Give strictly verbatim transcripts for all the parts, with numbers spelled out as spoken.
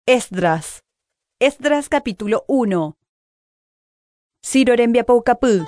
Esdras. Esdras capítulo uno. Ciro rembiapoukapy.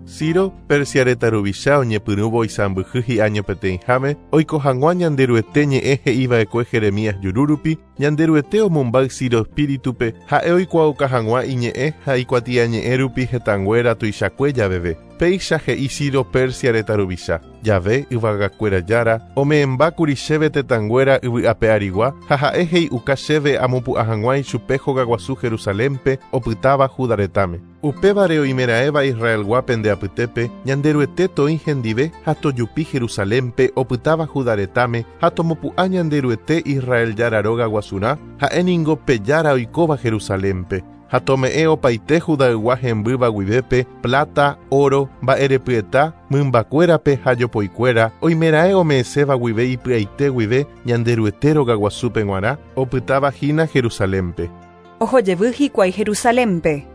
Ciro, Persia retã ruvicha oñepyrũvo isãmbyhy hi'áño peteĩháme, oiko hag̃ua Ñanderuete ñe'ẽ he'iva'ekue Jeremías jurúrupi, Ñanderuete omombáy Ciro espíritupe ha'e oikuaauka hag̃ua iñe'ẽ ha ikuatiañe'ẽ rupi hetãnguéra tuichakue javeve. Péicha he'i Ciro Persia retã ruvicha, jave yvagakuéra jára, ome'ẽmbákuri chéve tetãnguéra yvy'ape arigua ha ha'e he'iuka chéve amopu'ã hag̃ua ichupe hogaguasu Jerusalénpe opytáva Judá retãme. Upévare oimeraẽva Israelgua pende apytépe, Ñanderuete toĩ hendive ha tojupi Jerusalénpe opytáva Judá retãme ha tomopu'ã Ñanderuete Israel jára róga guasurã, ha'éningo pe jára oikóva Jerusalénpe. Ha tome'ẽ opaite Judaygua hembýva guivépe, plata, oro, mba'erepyeta, mymbakuérape ha jopoikuéra, oimeraẽ ome'ẽséva guive ipy'aite guive Ñanderuete rogaguasúpe g̃uarã, opytáva hína Jerusalénpe. Ohojevy hikuái Jerusalénpe.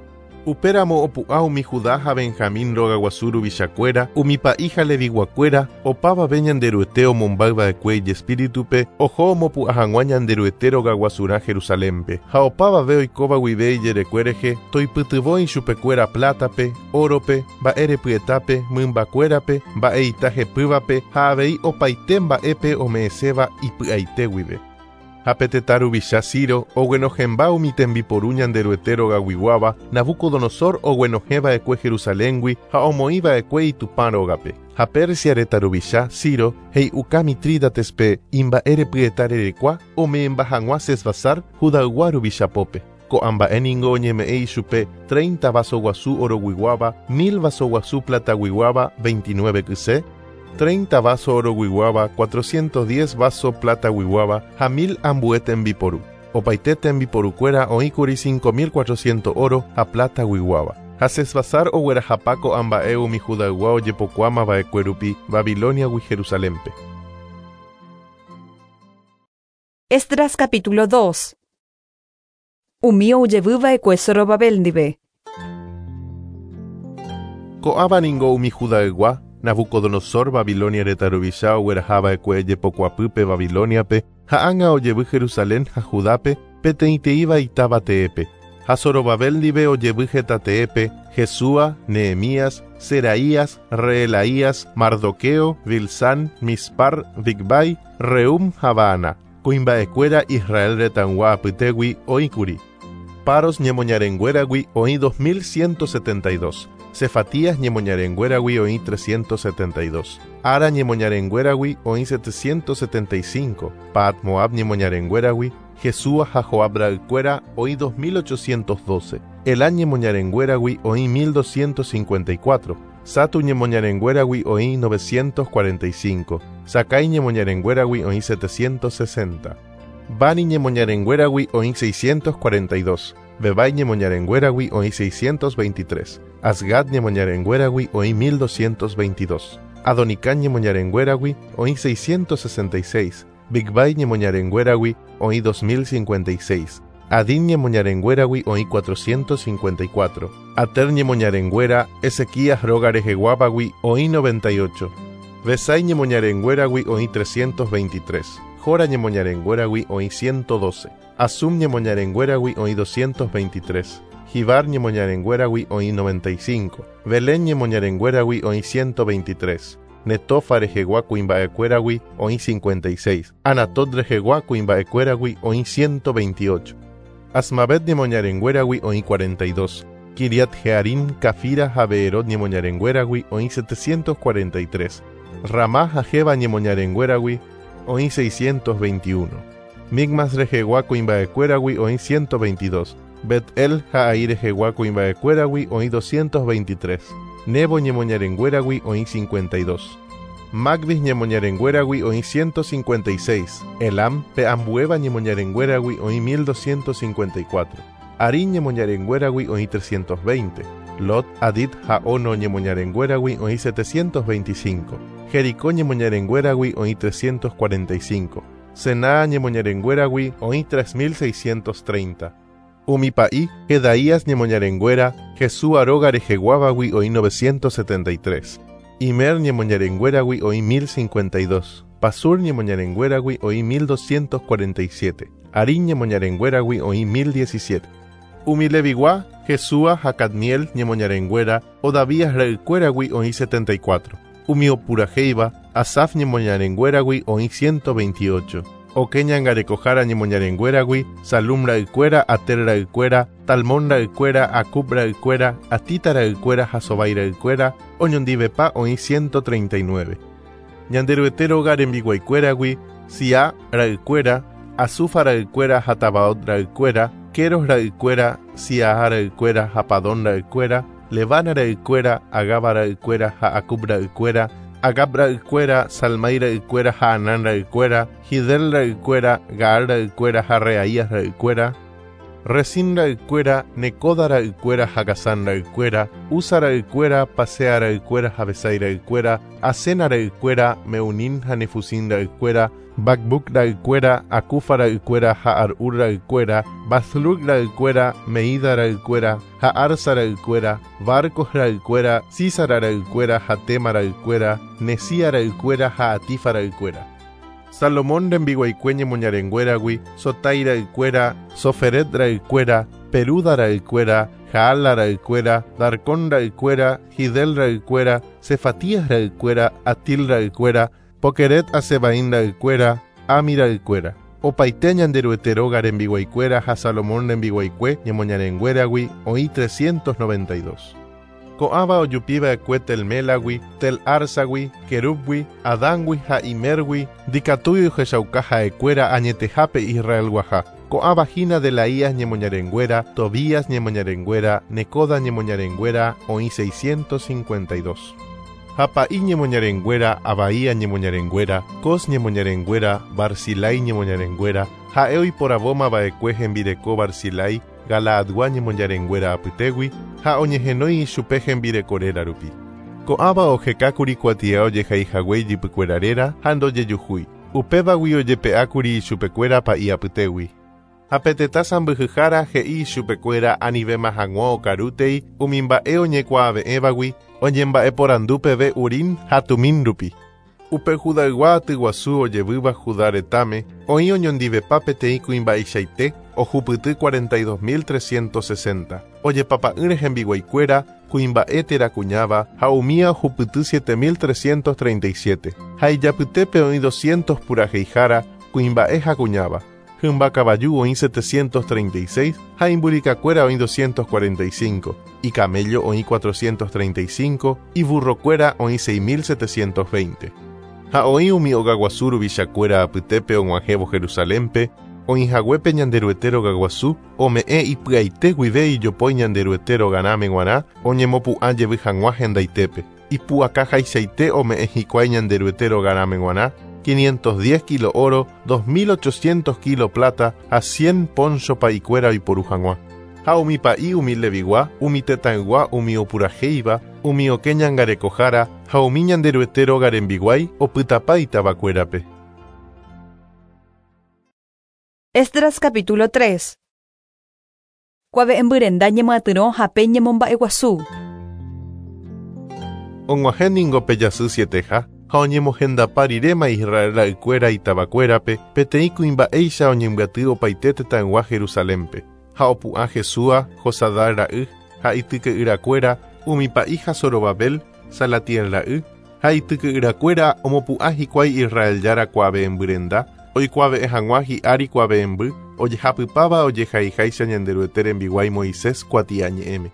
Upéramo opu'ã umi Judá ha Benjamín rogaguasu ruvichakuéra, umi pa'i ha leviguakuéra, opavave Ñanderuete omombáyva'ekue ijespíritupe, oho omopu'ã hag̃ua Ñanderuete rogaguasurã Jerusalénpe, ha opavave oikóva guive ijerekue rehe, toipytyvõ ichupekuéra plátape, órope, mba'erepyetápe, mymbakuérape, mba'eita hepývape ha avei opaite mba'épe ome'ẽséva ipy'aite guive. Ha pe tetã ruvicha Ciro oguenohẽmba umi tembiporu Ñanderuete rogaguiguáva, Nabucodonosor oguenohẽva'ekue Jerusaléngui ha omoĩva'ekue itupã rógape. Ha Persia retã ruvicha Ciro he'iuka Mitrídatespe imba'erepyeta rerekua ome'ẽmba hag̃ua Sesbasar Judaygua ruvichapópe. Ko'ã mba'éningo oñeme'ẽ ichupe treinta vaso guasu oroguiguáva, mil vaso guasu plataguiguáva, veintinueve kyse, treinta vaso oroguiguáva, cuatrocientos diez vaso plataguiguáva ha mil ambue tembiporu. Opaite tembiporukuéra oĩkuri cinco mil cuatrocientos oro ha plataguiguáva. Ha Sesbasar oguerahapa ko'ã mba'e umi Judaygua ojepokuaamava'ekue rupi Babiloniagui Jerusalénpe. Esdras capítulo dos. Umi ojevýva'ekue Zorobabel ndive. Ko'ãva ningo umi Judaygua, Nabucodonosor Babilonia retã ruvicha oguerahava'ekue jepokuapýpe Babiloniape, ha ág̃a ojevy Jerusalén ha Judápe peteĩteĩva itáva teépe. Ha Zorobabel ndive ojevy heta teépe, Jesúa, Nehemías, Seraías, Reelaías, Mardoqueo, Bilsán, Mispar, Bigvai, Reum ha Baana. Kuimba'ekuéra Israel retãygua apytégui oĩkuri. Paros ñemoñarenguéragui oĩ dos mil ciento setenta y dos. Cefatías ñemoñarenguéragui oĩ trescientos setenta y dos. Ara ñemoñarenguéragui oĩ setecientos setenta y cinco. Paat Moab ñemoñarenguéragui, Jesúa ha Joab ra'ykuéra oĩ dos mil ochocientos doce. Elá ñemoñarenguéragui oĩ mil doscientos cincuenta y cuatro. Satu ñemoñarenguéragui oĩ novecientos cuarenta y cinco. Sakai ñemoñarenguéragui oĩ setecientos sesenta. Bani ñemoñarenguéragui oĩ seiscientos cuarenta y dos. Bebai ñemoñarenguéragui oĩ seiscientos veintitrés. Asgad ñemoñarenguéragui oĩ mil doscientos veintidós. Adonicán ñemoñarenguéragui oĩ seiscientos sesenta y seis. Bigvai ñemoñarenguéragui oĩ dos mil cincuenta y seis. Adín ñemoñarenguéragui oĩ cuatrocientos cincuenta y cuatro. Ater ñemoñarenguéra Ezequías róga reheguávagui oĩ noventa y ocho. Besai ñemoñarenguéragui oĩ trescientos veintitrés. Jora ñemoñarenguéragui oĩ ciento doce. Asum ñemoñarenguéragui oĩ doscientos veintitrés. Jibar ñemoñarenguéragui oĩ noventa y cinco. Belén ñemoñarenguéragui oĩ ciento veintitrés. Netofa rehegua kuimba'ekuéragui oĩ cincuenta y seis. Anatot rehegua kuimba'ekuéragui oĩ ciento veintiocho. Asmavet ñemoñarenguéragui oĩ cuarenta y dos. Kiriat Jearim, Cafira ha Beerot ñemoñarenguéragui oĩ setecientos cuarenta y tres. Ramá ha Jeba ñemoñarenguéragui oĩ seiscientos veintiuno. Migmas rehegua kuimba'ekuéragui oĩ ciento veintidós. Bet-El ha Ai rehegua kuimba'ekuéragui oĩ doscientos veintitrés. Nebo ñemoñarenguéragui oĩ cincuenta y dos. Magbis ñemoñarenguéragui oĩ ciento cincuenta y seis. Elam pe ambuéva ñemoñarenguéragui oĩ mil doscientos cincuenta y cuatro. Arín ñemoñarenguéragui oĩ trescientos veinte. Lot, Adid ha Ono ñemoñarenguéragui oĩ setecientos veinticinco. Jericó ñemoñarenguéragui oĩ trescientos cuarenta y cinco. Sená ñemoñarenguéragui oĩ tres mil seiscientos treinta. Umi pa'i, Jedaías ñemoñarenguéra, Jesúa róga reheguávagui oĩ novecientos setenta y tres. Imer ñemoñarenguéragui oĩ mil cincuenta y dos. Pasur ñemoñarenguéragui oĩ mil doscientos cuarenta y siete, Arín ñemoñarenguéragui oĩ mil diecisiete. Umi Levigua, Jesúa ha Cadmiel ñemoñarenguéra, Odavías ra'ykuéragui oĩ setenta y cuatro. Umi opuraheiva, Asaf ñemoñarenguéragui oĩ ciento veintiocho. Okẽ ñangarekohára ñemoñarenguéragui, Salum ra'ykuéra, Ater ra'ykuéra, Talmón ra'ykuéra, Acub ra'ykuéra, Atita ra'ykuéra ha Sobai ra'ykuéra, oñondivepa oĩ ciento treinta y nueve. Ñanderuete róga rembiguaikuéragui, Siá ra'ykuéra, Azufa ra'ykuéra ha Tabaot ra'ykuéra, Keros ra'ykuéra, Siaha ra'ykuéra ha Padón ra'ykuéra, Levana ra'ykuéra, Agaba ra'ykuéra ha Acub ra'ykuéra, Agab ra'ykuéra, Salmai ra'ykuéra ha Anán ra'ykuéra, Hidel ra'ykuéra, Gaal ra'ykuéra ha Reaías ra'ykuéra, Resín ra'ykuéra, Necoda ra'ykuéra ha Gazán ra'ykuéra, Uza ra'ykuéra, Pasea ra'ykuéra ha Besai ra'ykuéra, Asena ra'ykuéra, Meunín ha Nefusín ra'ykuéra, Bakbuk ra'ykuéra, Acufa ra'ykuéra ha Arur ra'ykuéra, Bazluc ra'ykuéra, Meida ra'ykuéra ha Arsa ra'ykuéra, Barcos ra'ykuéra, Sísara ra'ykuéra ha Tema ra'ykuéra, Nesía ra'ykuéra ha Atifa ra'ykuéra. Salomón rembiguaikue ñemoñarenguéragui, Sotai ra'ykuéra, Soferet ra'ykuéra, Peruda ra'ykuéra, Jaala ra'ykuéra, Darcón ra'ykuéra, Hidel ra'ykuéra, Cefatías ra'ykuéra, Atil ra'ykuéra, Pokeret Asebaín ra'ykuéra, Ami ra'ykuéra. Opaite Ñanderuete róga rembiguaikuéra ha Salomón rembiguaikue ñemoñarenguéragui oĩ trescientos noventa y dos. Ko'ãva ojupiva'ekue Telmélagui, Tel Arsagui, Kerúbgui, Adángui ha Imergui, ndikatúi ohechauka ha'ekuéra añetehápe Israelguaha. Ko'ãva hína Delaías ñemoñarenguéra, Tobías ñemoñarenguéra, Necoda ñemoñarenguéra oĩ seiscientos cincuenta y dos. Ha pa'i ñemoñarenguéra, Abaía ñemoñarenguéra, Cos ñemoñarenguéra, Barzilai ñemoñarenguéra, ha'e oiporavóma va'ekue hembireko Barzilai, Galaadgua ñemoñarenguéra apytégui, ha oñehenói ichupe hembireko réra rupi. Ko'ãva ohekákuri kuatia ojehaihague ijypykuéra réra ha ndojejuhúi. Upévagui ojepe'ákuri ichupekuéra pa'i apytégui. Ha pe tetã sãmbyhyhára he'i ichupekuéra anivéma hag̃ua okarútei umi mba'e oñekuaave'ẽvagui oñemba'eporandu peve Urín ha Tumín rupi. Upe Judaygua atyguasu ojevýva Judá retãme oĩ oñondivepa peteĩ kuimba'eichaite ohupyty cuarenta y dos mil trescientos sesenta. Ojepapa'ỹre hembiguaikuéra, kuimba'e térã kuñáva ha umía ohupyty siete mil trescientos treinta y siete. Ha ijapytépe oĩ doscientos puraheihára, kuimba'e ha kuñáva. Hymba kavaju oĩ setecientos treinta y seis ha imburikakuéra oĩ doscientos cuarenta y cinco, icamello oĩ cuatrocientos treinta y cinco y burrokuéra oĩ seis mil setecientos veinte. Ha oĩ umi ogaguasu ruvichakuéra apytépe og̃uahẽvo Jerusalénpe, oĩhaguépe Ñanderuete rogaguasu, ome'ẽ ipy'aite guive ijopói Ñanderuete rogarãme g̃uarã oñemopu'ã jevy hag̃ua hendaitépe. Ipu'akahaichaite ome'ẽ hikuái Ñanderuete rogarãme g̃uarã, quinientos diez kilo oro, dos mil ochocientos kilo plata ha cien poncho pa'ikuéra oiporu hag̃ua. Ha umi pa'i umi Levigua, umi tetãygua, umi opurahéiva, umi okẽ ñangarekohára ha umi Ñanderuete róga rembiguái opytapa itavakuérape. Esdras capítulo tres. Kuave'ẽmbyrenda ñemyatyrõ ha pe ñemomba'eguasu. Og̃uahẽ ningo pe jasy sieteha ha oñemohendapa riréma Israel ra'ykuéra itavakuérape peteĩ kuimba'éicha oñembyaty opaite tetãygua Jerusalénpe. Ha opu'ã Jesúa, Josadá ra'y ha ityke'yrakuéra, umi pa'i ha Zorobabel, Salatiel ra'y, ha ityke'yrakuéra omopu'ã hikuái Israel jára kuave'ẽmbyrenda, oikuave'ẽ hag̃ua hi'ári kuave'ẽmby, ojehapypáva ojehaiháicha Ñanderuete rembiguái Moisés kuatiañe'ẽme.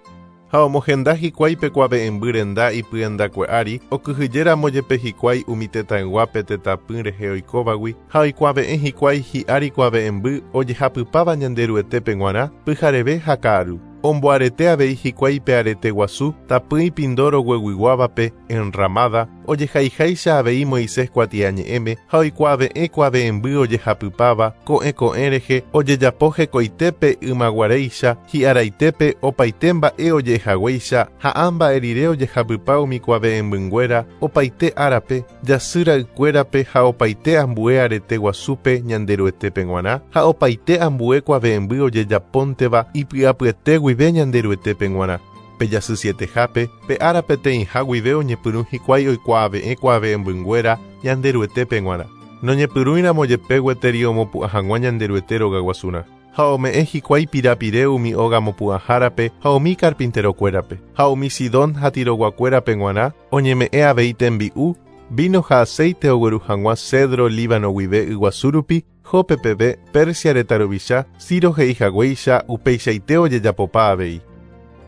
Ha omohenda hikuái pe kuave'ẽmby renda ipyendakue ári, okyhyjéramo jepe hikuái umi tetãyguápe tetãpy rehe oikóvagui, ha oikuave'ẽ hikuái hi'ári kuave'ẽmby ojehapypáva Ñanderuetépe g̃uarã, pyhareve ha ka'aru. Omboarete avei hikuái pe arete guasu, tapỹi pindoro gueguiguávape enramada, ojehaiháicha avei Moisés kuatiañe'ẽme ha oikuave'ẽ kuave'ẽmby ojehapypáva ko'ẽ ko'ẽ rehe ojejapo hekoitépe ymaguaréicha, hi'araitépe opaite mba'e ojehaguéicha ha ã mba'e rire ojehapypa umi kuave'ẽmbynguéra opaite árape, jasy ra'ykuérape ha opaite ambue arete guasúpe Ñanderuetépe g̃uarã ha opaite ambue kuave'ẽmby ojejapónteva ipy'apyete guive Ñanderuetépe g̃uarã. Pe jasy sietehápe, pe ára peteĩha guive oñepyrũ hikuái oikuaave'ẽ kuave'ẽmbynguéra Ñanderuetépe g̃uarã. Noñepyrũiramo jepe gueteri omopu'ã hag̃ua Ñanderuete rogaguasurã. Ha ome'ẽ hikuái pirapire umi óga mopu'ãhárape ha umi carpinterokuérape. Ha umi Sidón ha Tiroguakuérape g̃uarã oñeme'ẽ avei tembi'u, vino ha aceite ogueru hag̃ua cedro Líbano guive yguasu rupi, Jope peve Persia retã ruvicha, Ciro he'i haguéicha upeichaite ojejapopa avei.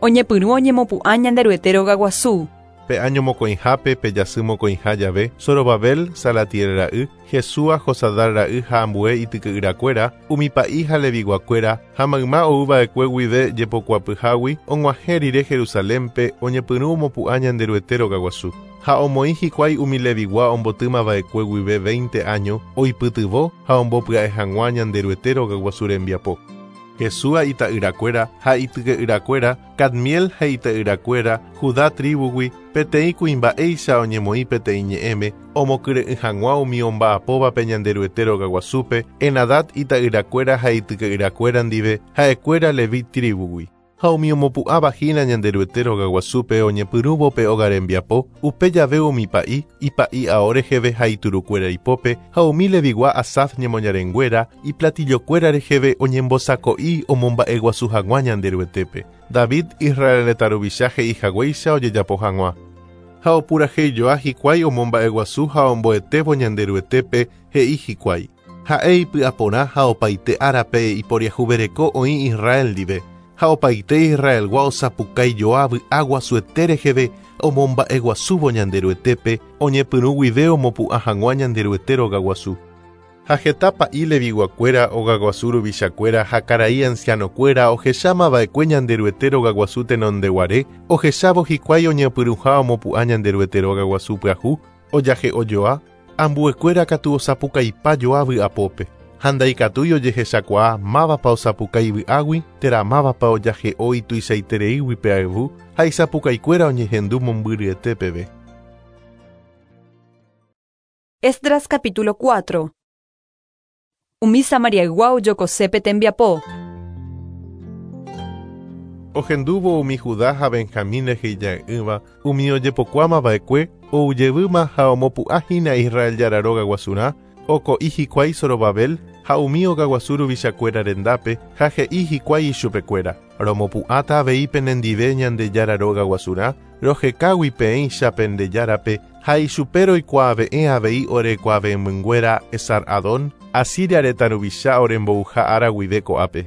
Oñepyrũ oñemopu'ã Ñanderuete rogaguasu. Pe año mokõihápe pe jasy mokõiha jave, Zorobabel, Salatiel ra'y, Jesúa, Josadar ra'y ha ambue ityke'yrakuéra, umi pa'i ha leviguakuéra, ha mayma ouva'ekue guive jepokuapyhágui og̃uahẽ rire Jerusalénpe oñepyrũ omopu'ã Ñanderuete rogaguasu. Ha omoĩ hikuái umi levigua ombotýmava'ekue guive veinte año oipytyvõ ha ombopya'e hag̃ua Ñanderuete rogaguasu rembiapo. Jesúa ita'yrakuéra ha ityke'yrakuéra, Cadmiel ha ita'yrakuéra, Judá tribugui, peteĩ kuimba'éicha oñemoĩ peteĩ ñe'ẽme, omokyre'ỹ hag̃ua umi omba'apóvape Ñanderuete rogaguasúpe, Enadad ita'yrakuéra ha ityke'yrakuéra ndive, ha'ekuéra Levi tribugui. Ha umi omopu'ãva hína Ñanderuete rogaguasúpe oñepyrũvo pe óga rembiapo, upe jave umi pa'i, ipa'i ao reheve ha iturukuéra ipópe, ha umi levigua Asaf ñemoñarenguéra, iplatillokuéra reheve oñembosako'i omomba'eguasu hag̃ua Ñanderuetépe. David Israel retã ruvicha he'i haguéicha ojejapo hag̃ua. Ha opurahéijoa hikuái omomba'eguasu ha omboetévo Ñanderuetépe he'i hikuái. Ha'e ipy'aporã ha opaite árape iporiahuvereko oĩ Israel ndive. Ha opaite Israelgua osapukaijoa vy'a guasuete reheve omomba'eguasúvo Ñanderuetépe oñepyrũ guive omopu'ã hag̃ua Ñanderuete rogaguasu. Ha heta pa'i leviguakuéra ogaguasu ruvichakuéra ha karai ancianokuéra ohechámava'ekue Ñanderuete rogaguasu tenondeguare, ohechávo hikuái oñepyrũha omopu'ã Ñanderuete rogaguasu pyahu, ojahe'ojoa, ambuekuéra katu osapukaipajoa vy'apópe. Ha ndaikatúi ojehechakuaa mávapa osapukái vy'águi térã mávapa ojahe'o ituichaitereígui pe ayvu ha isapukaikuéra oñehendu mombyryete peve. Esdras capítulo cuatro. Umi Samariaygua ojokosépe tembiapo. Ohendúvo umi Judá ha Benjamín rehe ija'e'ỹva, umi ojepokuámava'ekue oujevýma ha omopu'ãhína Israel Jára rogaguasurã, oko'i hikuái Zorobabel ha umi ogaguasu ruvichakuéra rendápe ha he'i hikuái ichupekuéra. Romopu'ãta avei penendive Ñandejára rogaguasurã, rohekágui peẽicha pendejárape ha ichupe roikuaave'ẽ avei orekuave'ẽmynguéra Esar-Hadón, Asiria retã ruvicha orembouha ára guive ko'ápe.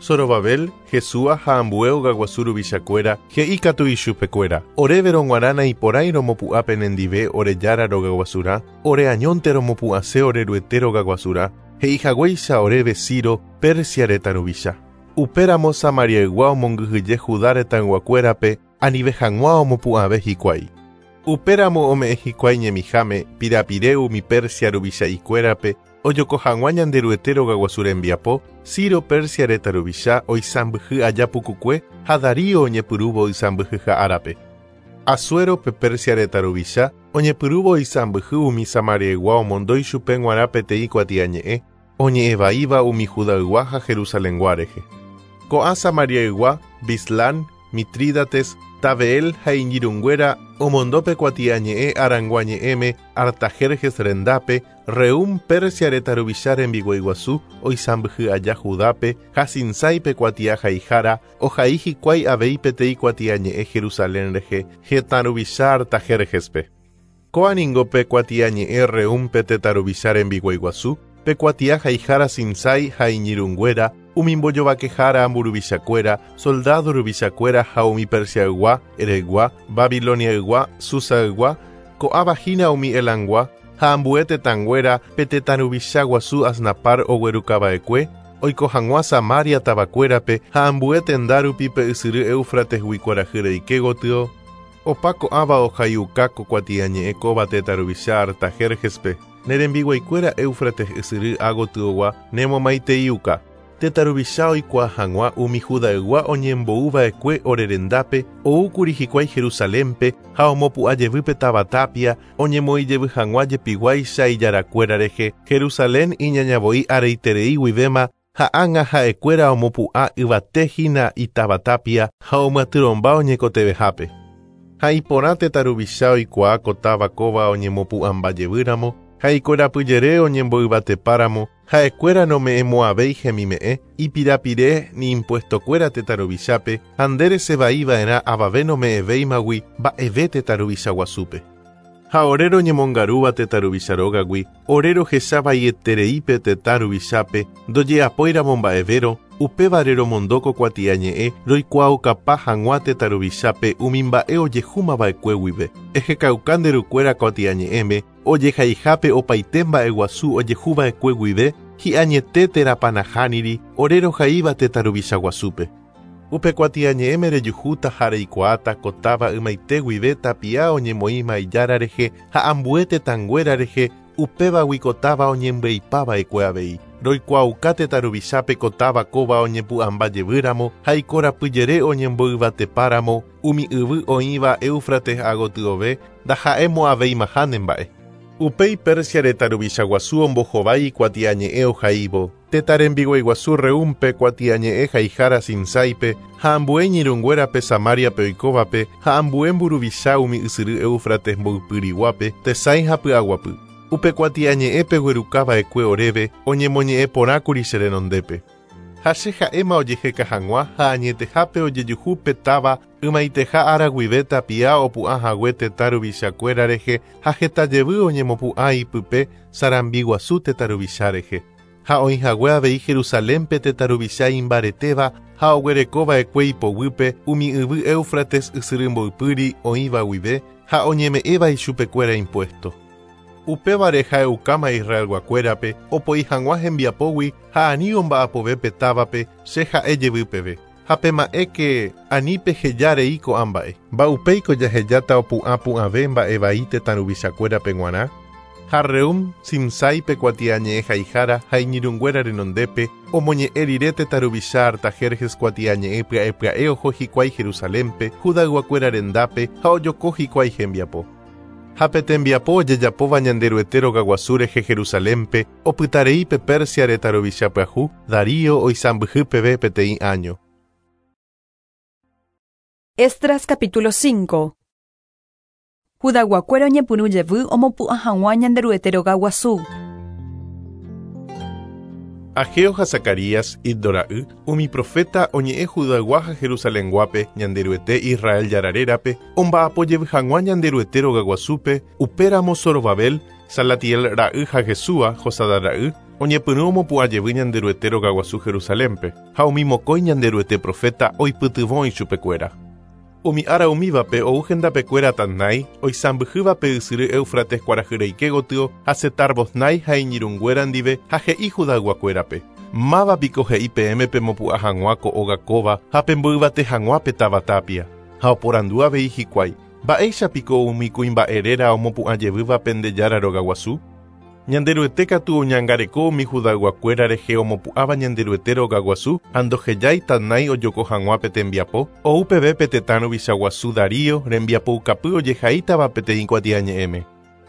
Zorobabel, Jesúa ha ambue ogaguasu ruvichakuéra he'i katu ichupekuéra. Oréve rog̃uarã naiporãi romopu'ã penendive ore Jára rogaguasurã, ore añónte romopu'ãse ore Ruete rogaguasurã, he'i haguéicha oréve Ciro, Persia retã ruvicha. Upéramo Samariaygua omongyhyje Judá retãyguakuérape anive hag̃ua omopu'ãve hikuái. Upéramo ome'ẽ hikuái ñemiháme pirapire umi Persia ruvicha'ikuérape ojoko hag̃ua Ñanderuete rogaguasu rembiapo, Ciro Persia retã ruvicha oisãmbyhy aja pukukue ha Darío oñepyrũvo oisãmbyhyha árape. Asuero pe Persia retã ruvicha oñepyrũvo oisãmbyhy umi Samariaygua omondo ichupe g̃uarã peteĩ kuatiañe'ẽ oñe'ẽvaíva umi Judaygua ha Jerusalengua rehe. Ko'ã Samariaygua, Bislán, Mitrídates, Tabeel ha iñirũnguéra omondo pe kuatiañe'ẽ aranguañe'ẽme Artajerjes rendápe, Reum Persia retã ruvicha rembiguaiguasu oisãmbyhy aja Judápe ha Sinsái kuatia haihára ohai hikuái avei peteĩ kuatiañe'ẽ Jerusalén rehe hetã ruvicha Artajerjespe. Kóa ningo pe kuatiañe'ẽ Reum pe tetã ruvicha rembiguaiguasu, pe kuatia haihára Sinsái ha iñirũnguéra, umi mbojovakehára mburuvichakuéra, soldado ruvichakuéra ha umi Persiaygua, Eregua, Babiloniaygua, Susaygua, ko'ãva hína umi Elangua, ha ambue tetãnguéra pe tetã ruvicha guasu Asnapar oguerukava'ekue, oiko hag̃ua Samaria tavakuérape ha ambue tenda rupi pe ysyry Éufratesgui kuarahy reike gotyo, opa ko'ãva ohaiuka ko kuatiañe'ẽ kóva tetã ruvicha Artajerjespe, ne rembiguaikuéra Éufrates ysyry ágotyogua nemomaiteiuka. Tetã ruvicha oikuaa hag̃ua umi Judaygua oñembo'uva'ekue ore rendápe oúkuri hikuái Jerusalénpe ha omopu'ã jevy pe táva tapia oñemoĩ jevy hag̃ua jepiguáicha ijarakuéra rehe Jerusalén iñañavoi areiterei guivéma ha ág̃a ha'ekuéra omopu'ã yvate hína itáva tapia ha omyatyrõmba oñekotevehápe. Ha iporã tetã ruvicha oikuaa ko táva kóva oñemopu'ãmba jevýramo, Ha ikorapyjere oñemboyvatepáramo, ha'ekuéra nome'ẽmo'ãvéi hemime'ẽ, ipirapire ni impuestokuéra tetã ruvichápe ha nde resevaiva'erã avave nome'ẽvéimagui mba'eve tetã ruvicha guasúpe. Ha ore roñemongarúva tetã ruvicha rógagui, ore rohechavaietereípe tetã ruvichápe ndoje'apóiramo mba'evérõ, upévare romondóko kuatiañe'ẽ roikuaukapa hag̃ua tetã ruvichápe umi mba'e ojehúmava'ekue guive. Ehekauka nde rukuéra kuatiañe'ẽme ojehaihápe opaite mba'eguasu ojehúva'ekue guive hi'añete térãpa nahániri ore rohaíva tetã ruvicha guasúpe. Upe kuatiañe'ẽme rejuhúta ha reikuaáta ko táva ymaite guive tapia oñemoĩma ijára rehe ha ambue tetãnguéra rehe upévagui ko táva oñembyaipava'ekue avei. Roikuaauka tetã ruvichápe ko táva kóva oñepu'ãmbajevýramo ha ikorapyjere oñemboyvatepáramo umi yvy oĩva Éufrates agotyove ndaha'emo'ãveimaha nemba'e. Upéi Persia retã ruvicha guasu ombohovái kuatiañe'ẽ ohaívo, tetã rembiguaiguasu Reúmpe kuatiañe'ẽ haihára Simsáipe ha ambue iñirũnguérape Samariape oikóvape ha ambue mburuvicha umi ysyry Éufrates mboypyriguápe tesãi ha py'aguapy. Upe kuatiañe'ẽpe guerukava'ekue oréve oñemoñe'ẽporãkuri che renondépe. Ha che ha'éma ojeheka hag̃ua ha añetehápe ojejuhu pe táva ymaiteha ára guive tapia opu'ã hague tetã ruvichakuéra rehe ha heta jevy oñemopu'ã ipype sarambi guasu tetã ruvicha rehe. Ha oĩ hague avei Jerusalénpe tetã ruvicha imbaretéva ha oguerekova'ekue ipoguýpe umi yvy Éufrates ysyry mboypýri oĩva guive ha oñeme'ẽva ichupekuéra impuesto. Upévare ha'eukáma Israelguakuérape opoi hag̃ua hembiapógui ha ani omba'apove pe távape che ha'e jevy peve. Ha pema'ẽke ani pehejarei ko'ã mba'e. Mba'upéiko jahejáta opu'ãpu'ãve mba'evai tetã ruvichakuérape g̃uarã. Ha Reúm Simsáipe kuatiañe'ẽ haihára ha iñirũnguéra renondépe omoñe'ẽ rire tetã ruvicha Artajerjes kuatiañe'ẽ pya'e pya'e oho hikuái Jerusalénpe Judayguakuéra rendápe ha ojoko hikuái hembiapo. Ha pe tembiapo ojejapóva Ñanderuete rogaguasu rehe Jerusalénpe opytareípe Persia retã ruvicha pyahu Darío oisãmbyhy peve peteĩ año. Esdras capítulo cinco. Judayguakuéra oñepyrũ jevy omopu'ã hag̃ua Ñanderuete rogaguasu. Ageo ha Zacarías, Iddo ra'y, umi profeta oñe'ẽ Judaygua ha Jerusalenguápe Ñanderuete Israel Jára rérape omba'apo jevy hag̃ua Ñanderuete rogaguasúpe upéramo Zorobabel, Salatiel ra'y ha Jesúa, Josadá ra'y, oñepyrũ omopu'ã jevy Ñanderuete rogaguasu Jerusalénpe ha umi mokõi Ñanderuete profeta oipytyvõ ichupekuéra. Umi ára umívape ou hendapekuéra Tatnai, oisãmbyhývape ysyry Éufrates kuarahyreike gotyo ha Setar-Boznai ha iñirũnguéra ndive ha he'i Judayguakuérape. Mávapiko he'i peẽme pemopu'ã hag̃ua ko óga kóva ha pemboyvate hag̃ua pe táva tapia. Ha oporandu avei hikuái, mba'éichapiko umi kuimba'e réra omopu'ã jevýva pende Jára rogaguasu? Ñanderuete katu oñangareko umi Judayguakuéra rehe omopu'ãva Ñanderuete rogaguasu ha ndohejái Tatnai ojoko hag̃ua pe tembiapo, ou peve pe tetã ruvicha guasu Darío rembiapoukapy ojehaítava peteĩ kuatiañe'ẽme.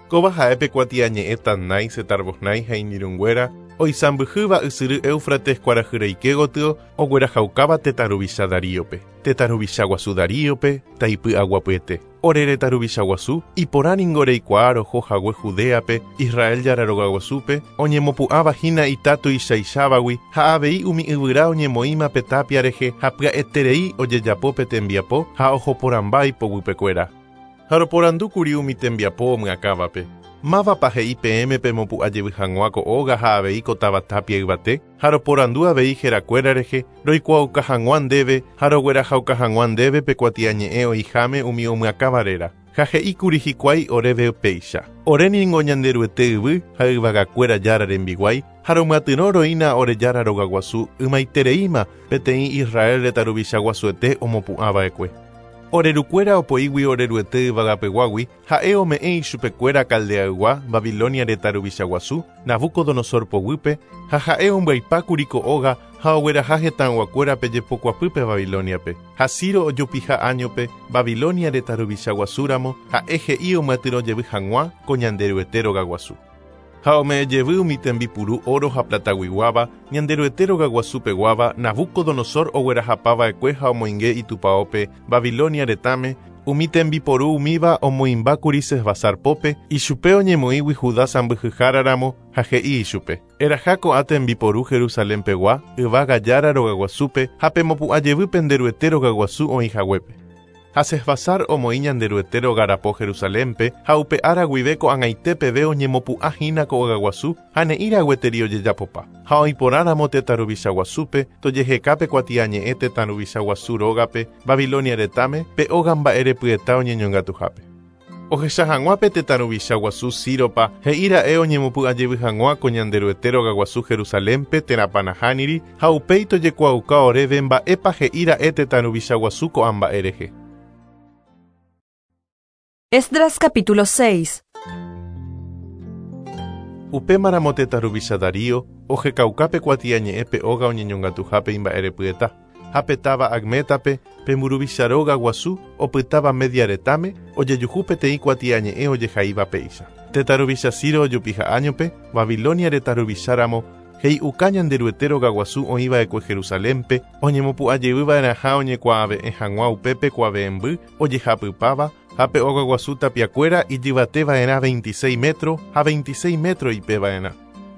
Kóva ha'e pe kuatiañe'ẽ Tatnai, Setar-Boznai ha iñirũnguéra oisãmbyhýva ysyry Éufrates kuarahyreike gotyo oguerahaukáva tetã ruvicha Daríope. Tetã ruvicha guasu Daríope taipy'aguapyete. Ore retã ruvicha guasu iporã ningo reikuaa roho hague Judeape, Israel Jára rogaguasúpe, oñemopu'ãva hína ita tuichaichavagui ha avei umi yvyra oñemoĩma pe tapia rehe ha pya'eterei ojejapo pe tembiapo ha ohoporãmba ipoguypekuéra. Ha roporandúkuri umi tembiapo omyakãvape. Mávapa he'i peẽme pemopu'ã jevy hag̃ua ko óga ha avei ko táva tapia yvate, ha roporandu avei herakuéra rehe, roikuaauka hag̃ua ndéve ha roguerahauka hag̃ua ndéve pe kuatiañe'ẽ oĩháme umi omyakãva réra. Ha he'íkuri hikuái oréve péicha. Ore ningo Ñanderuete yvy ha yvagakuéra Jára rembiguái ha romyatyrõ roína ore Jára rogaguasu ymaitereíma peteĩ Israel retã ruvicha guasuete omopu'ãva'ekue. Orerukuéra opoígui Oreruete yvagapeguágui ha'e ome'ẽ ichupekuéra Caldeaygua Babilonia retã ruvicha guasu Nabucodonosor poguýpe ha ha'e ombyaipákuri ko óga ha ogueraha hetãyguakuérape jepokuapýpe Babiloniape. Ha Ciro ojupiha añope Babilonia retã ruvicha guasúramo ha'e he'i omyatyrõ jevy hag̃ua ko Ñanderuete rogaguasu. Ha ome'ẽ jevy umi tembipuru oro ha plataguiguáva Ñanderuete rogaguasupeguáva Nabucodonosor oguerahapava'ekue ha omoinge itupãópe Babilonia retãme Umi tembiporu umíva omoĩmbákuri Sesbasar pópe, ichupe oñemoĩgui Judá sãmbyhyháraramo ha he'i ichupe. Eraha ko'ã tembiporu Jerusalén pegua, yvága Jára rogaguasúpe ha pemopu'ãjevy pende Ruete rogaguasu oĩhaguépe. Ha Sesbasar omoĩ Ñanderuete rogarapo Jerusalénpe ha upe ára guive ko'ag̃aite peve oñemopu'ãhína ko ogaguasu ha ne'ĩra gueteri ojejapopa. Ha oĩporãramo tetã ruvicha guasúpe tojehekápe kuatiañe'ẽ tetã ruvicha guasu rógape Babilonia retãme pe óga mba'erepyeta oñeñongatuhápe. Ohecha hag̃ua pe tetã ruvicha guasu Síropa he'íra'e oñemopu'ãjevy hag̃ua ko Ñanderuete rogaguasu Jerusalénpe térã Panahániri ha upéi tojekuaauka oréve mba'épa he'íra'e tetã ruvicha guasu ko'ã mba'e rehe. Esdras capítulo seis. Upémaramo tetã ruvicha Darío ohekaukápe kuatiañe'ẽ pe óga oñeñongatuhápe imba'erepyeta. Ha pe táva Agmétape pe mburuvicha róga guasu opytáva Media retãme ojejuhu peteĩ kuatiañe'ẽ ojehaíva péicha. Tetã ruvicha Ciro ojupiha áñope, Babilonia retã ruvicháramo he'iuka Ñanderuete rogaguasu oĩva'ekue Jerusalénpe oñemopu'ãjevyva'erãha oñekuaave'ẽ hag̃ua upépe kuave'ẽmby ojehapypáva ha pe ogaguasu tapiakuéra ijyvateva'erã veintiséis metro ha veintiséis metro ipeva'erã.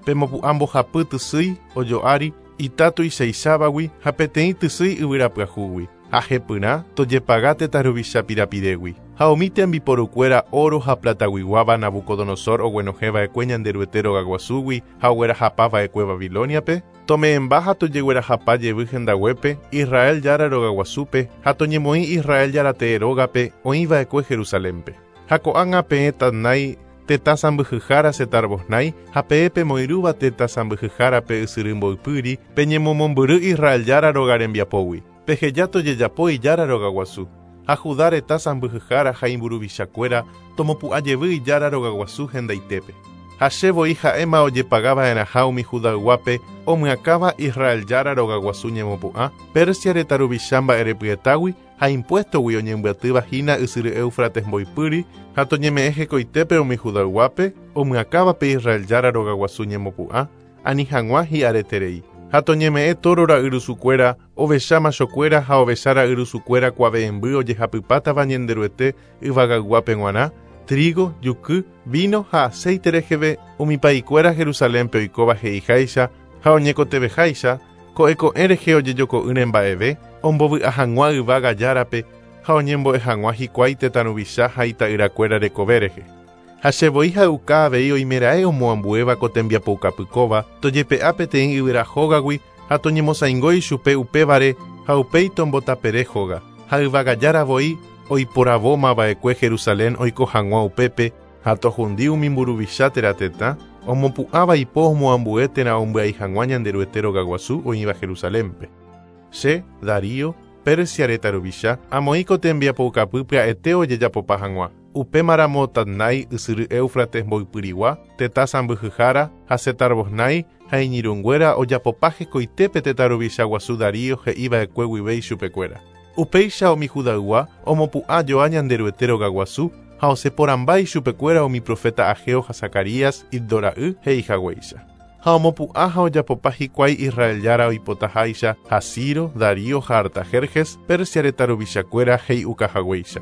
Pemopu'ã mbohapy tysýi ojo'ári ita tuichaichavagui ha peteĩ tysýi yvyrapyahúgui. Ha hepyrã tojepaga tetã ruvicha pirapirégui. Ha umi tembiporukuéra oro ha plataguiguáva Nabucodonosor oguenohẽva'ekue Ñanderuete rogaguasúgui ha oguerahapava'ekue Babiloniape, tome'ẽmba ha tojeguerahapa jevy hendaguépe Israel Jára rogaguasúpe ha toñemoĩ Israel Jára tee rógape oĩva'ekue Jerusalénpe. Ha ko'ág̃a peẽ Tatnai tetã sãmbyhyhára Setar-Boznai ha peẽ pemoirũva tetã sãmbyhyhárape ysyry mboypýri peñemomombyry Israel Jára róga rembiapógui. Peheja tojejapo ijára rogaguasu. Ha Judá retã sãmbyhyhára ha imburuvichakuéra tomopu'ãjevy ijára rogaguasu hendaitépe. Ha che voi ha'éma ojepagava'erãha umi Judayguápe omyakãva Israel Jára rogaguasu ñemopu'ã, Persia retã ruvicha mba'erepyetágui ha impuestogui oñembyatývahína ysyry Éufrates mboypýri ha toñeme'ẽ hekoitépe umi Judayguápe omyakãvape Israel Jára rogaguasu ñemopu'ã ani hag̃ua hi'areterei. Ha toñeme'ẽ toro ra'yrusukuéra, ovecha machokuéra ha ovecha ra'yrusukuéra kuave'ẽmby ojehapypátava Ñanderuete yvagayguápe g̃uarã, trigo, juky, vino ha aceite reheve umi pa'ikuéra Jerusalénpe oikóva he'iháicha ha oñekoteveháicha ko'ẽko'ẽ rehe ojejoko'ỹre mba'eve ombovy'a hag̃ua yvága Járape ha oñembo'e hag̃ua hikuái tetã ruvicha ha ita'yrakuéra rekove rehe. Ha che voi ha'uka avei oimeraẽ omoambuéva ko tembiapoukapykóva tojepe'a peteĩ yvyra hógagui ha toñemosãingo ichupe upévare ha upéi tombotapere hóga. Ha yvága Jára voi oiporavómava'ekue Jerusalén oiko hag̃ua upépe ha tohundi umi mburuvicha térã tetã omopu'ãva ipo omoambue térã ombyai hag̃ua Ñanderuete rogaguasu oĩva Jerusalénpe. Che, Darío, Persia retã ruvicha, amoĩ ko tembiapoukapy pya'ete ojejapopa hag̃ua. Upémaramo Tatnai ysyry Éufrates mboypyrigua, tetã sãmbyhyhára ha Setar-Boznai ha iñirũnguéra ojapopa hekoitépe tetã ruvicha guasu Darío he'iva'ekue guive ichupekuéra. Upéicha umi Judaygua omopu'ã joa Ñanderuete rogaguasu ha oseporãmba ichupekuéra umi profeta Ageo ha Zacarías Iddo ra'y he'ihaguéicha. Ha omopu'ã ha ojapopa hikuái Israel Jára oipotaháicha ha Ciro, Darío ha Artajerjes, Persia retã ruvichakuéra he'iukahaguéicha.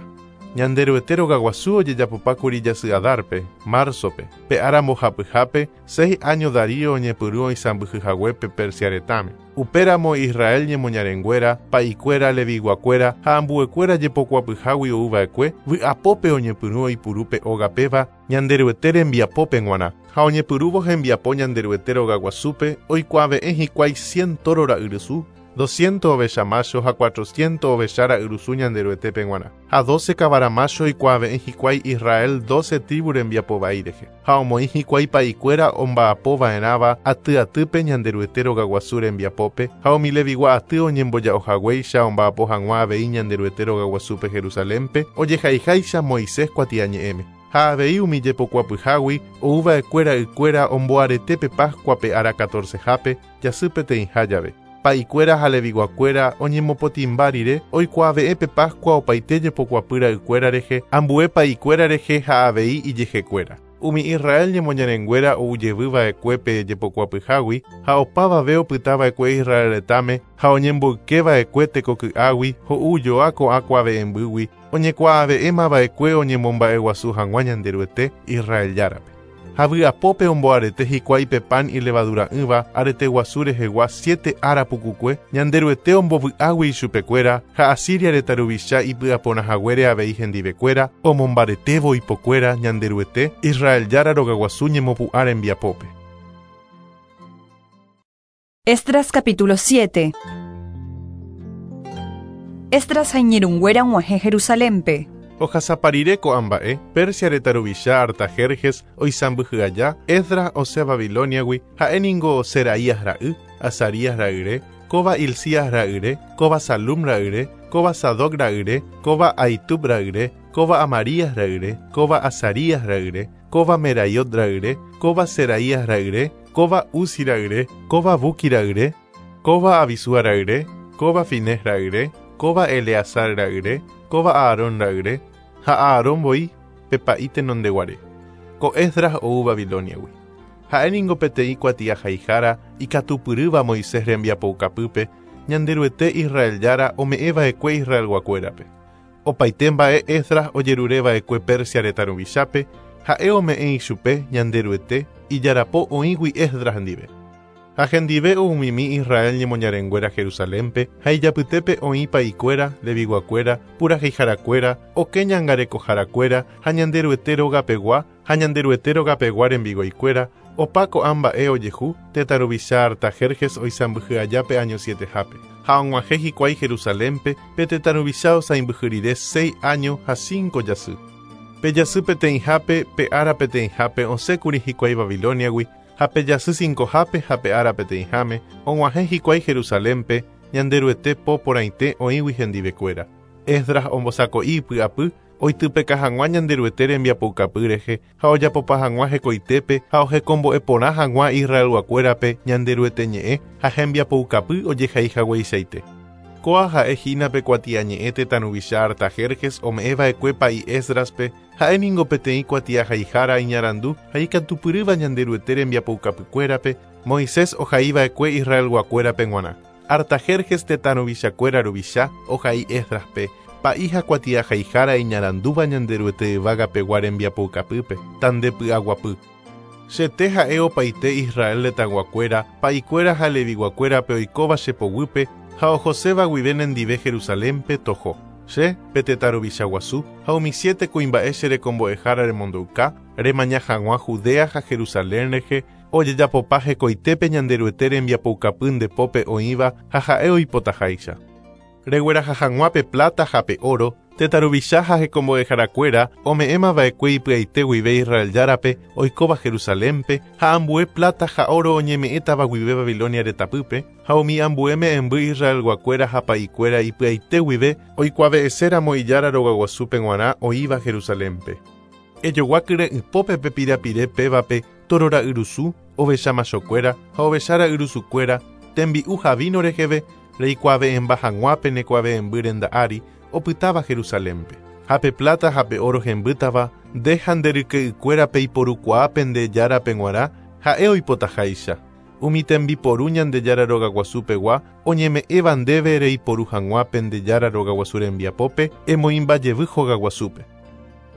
Ñanderuete rogaguasu ojejapopákuri jasy Adarpe, marzope, pe ára mbohapyhápe, seis año Darío oñepyrũ oisãmbyhyhaguépe Persia retãme. Upéramo Israel ñemoñarenguéra, pa'ikuéra, leviguakuéra ha ambuekuéra jepokuapyhágui ouva'ekue, vy'apópe oñepyrũ oipuru pe óga péva Ñanderuete rembiapópe g̃uarã. Ha oñepyrũvo hembiapo Ñanderuete rogaguasúpe oikuave'ẽ hikuái cien toro ra'yrusu, doscientos ovecha macho ha cuatrocientos ovecha ra'yrusu Ñanderuetépe g̃uarã. Ha doce kavara macho oikuave'ẽ hikuái Israel doce tribu rembiapo vai rehe. Ha omoĩ hikuái pa'ikuéra omba'apova'erãva aty atýpe Ñanderuete rogaguasu rembiapópe ha umi levigua aty oñemboja'ohaguéicha omba'apo hag̃ua avei Ñanderuete rogaguasúpe Jerusalénpe ojehaiháicha Moisés kuatiañe'ẽme. Ha avei umi jepokuapyhágui ouva'ekue ra'ykuéra omboaretépe Pascuape ára catorcehápe jasy peteĩha jave. Pa'ikuéra ha leviguakuéra oñemopotĩmba rire oikuaave'ẽ pe Pascua opaite jepokuapy ra'ykuéra rehe, ambue pa'ikuéra rehe ha avei ijehekuéra. Umi Israel ñemoñarenguéra oujevyva'ekue pe jepokuapyhágui ha opavave opytava'ekue Israel retãme ha oñemboykeva'ekue tekoky'águi ho'u joa ko'ã kuave'ẽmbýgui Oñekuaave'éma va'ekue oñemomba'eguasu hag̃ua Ñanderuete Israel járape. Ha vy'apópe omboarete hikuái pe pan ilevadura'ỹva arete guasu rehegua siete ára pukukue Ñanderuete ombovy'águi ichupekuéra ha Asiria retã ruvicha ipy'aporãhaguére avei hendivekuéra omombaretévo ipokuéra Ñanderuete Israel jára rogaguasu ñemopu'ã rembiapópe. Esdras capítulo siete. Esdras ha iñirũnguéra og̃uahẽ Jerusalénpe. Ohasaparire ko'ã mba'e, Persia retã ruvicha Artajerjes oisãmbyhy aja, Esdras osẽ Babiloniagui, ha'éningo Seraías ra'y, Azarías ra'yre, kóva Hilcías ra'yre, kóva Salum ra'yre, kóva Sadoc ra'yre, kóva Ahitub ra'yre, kóva Amarías ra'yre, kóva Azarías ra'yre, kóva Meraiot ra'yre, kóva Seraías ra'yre, kóva Uzi ra'yre, kóva Buqui ra'yre, kóva Abisúa ra'yre, kóva Finés ra'yre, kóva Eleazar ra'yre, kóva Aarón ra'yre, ha Aarón voi pe pa'i tenondeguare. Ko Esdras ou Babiloniagui. Ha'éningo peteĩ kuatiahaihára ikatupyrýva Moisés rembiapoukapýpe Ñanderuete Israel jára ome'ẽva'ekue Israelguakuérape. Opaite mba'e Esdras ojerureva'ekue Persia retã ruvichápe, ha'e ome'ẽ ichupe Ñanderuete ijarapo oĩgui Esdras ndive. Ha hendive oumimi Israel ñemoñarenguéra Jerusalénpe ha ijapytépe oĩ pa'ikuéra, leviguakuéra, puraheiharakuéra, oke ñangarekoharakuéra ha Ñanderuete rogapegua ha Ñanderuete rogapegua rembiguaikuéra, opa ko'ã mba'e ojehu tetã ruvicha Artajerjes oisãmbyhy aja pe año sietehápe. Ha og̃uahẽ hikuái Jerusalénpe pe tetã ruvicha osãimbyhy rire seis año ha cinco jasy. Pe jasy peteĩhápe pe ára peteĩhápe osẽkuri hikuái Babiloniagui, ha pe jasy cincohápe ha pe ára peteĩháme og̃uahẽ hikuái Jerusalénpe Ñanderuete po porãite oĩgui hendivekuéra. Esdras ombosako'i ipy'apy oitypeka hag̃ua Ñanderuete rembiapoukapy rehe ha ojapopa hag̃ua hekoitépe ha ohekombo'eporã hag̃ua Israelguakuérape Ñanderuete ñe'ẽ ha hembiapoukapy ojehaihagueichaite. Kóa ha'e hína pe kuatiañe'ẽ tetã ruvicha Artajerjes ome'ẽva'ekue pa'i Esdraspe, ha'éningo peteĩ kuatiahaihára iñarandu ha ikatupyrýva Ñanderuete rembiapoukapykuérape Moisés ohaiva'ekue Israelguakuérape g̃uarã. Artajerjes tetã ruvichakuéra ruvicha ohai Esdraspe, pa'i ha kuatiahaihára iñarandúva Ñanderuete yvágapegua rembiapoukapýpe, tandepy'aguapy. Chete ha'e opaite Israel retãguakuéra, pa'ikuéra ha leviguakuérape oikóva che poguýpe ha ohoséva guive nendive Jerusalénpe toho. Che, pe tetã ruvicha guasu, ha umi siete kuimba'e che rekombo'ehára remondouka, remaña hag̃ua Judea ha Jerusalén rehe, ojejapopa hekoitépe Ñanderuete rembiapoukapy ndepópe oĩva ha ha'e oipotaháicha. Regueraha hag̃ua pe plata ha pe oro, tetã ruvicha ha hekombo'eharakuéra ome'ẽmava'ekue ipy'aite guive Israel járape oikóva Jerusalénpe ha ambue plata ha oro oñeme'ẽtava guive Babilonia retãpýpe ha umi ambue me'ẽmby Israelguakuéra ha pa'ikuéra ipy'aite guive oikuave'ẽséramo ijára rogaguasúpe g̃uarã oĩva Jerusalénpe. Ejogua kyre'ỹpópe pe pirapire pévape toro ra'yrusu, ovecha machokuéra ha ovecha ra'yrusukuéra, tembi'u ha vino reheve reikuave'ẽmba hag̃ua penekuave'ẽmby renda ári opytáva Jerusalénpe. Ha pe plata ha pe oro hembýtava nde ha nde ryke'ykuérape iporukuaa pende járape g̃uarã ha'e oipotaháicha. Umi tembiporu Ñandejára rogaguasupegua oñeme'ẽva ndéve reiporu hag̃ua pende jára rogaguasu rembiapópe emoĩmbajevy hogaguasúpe.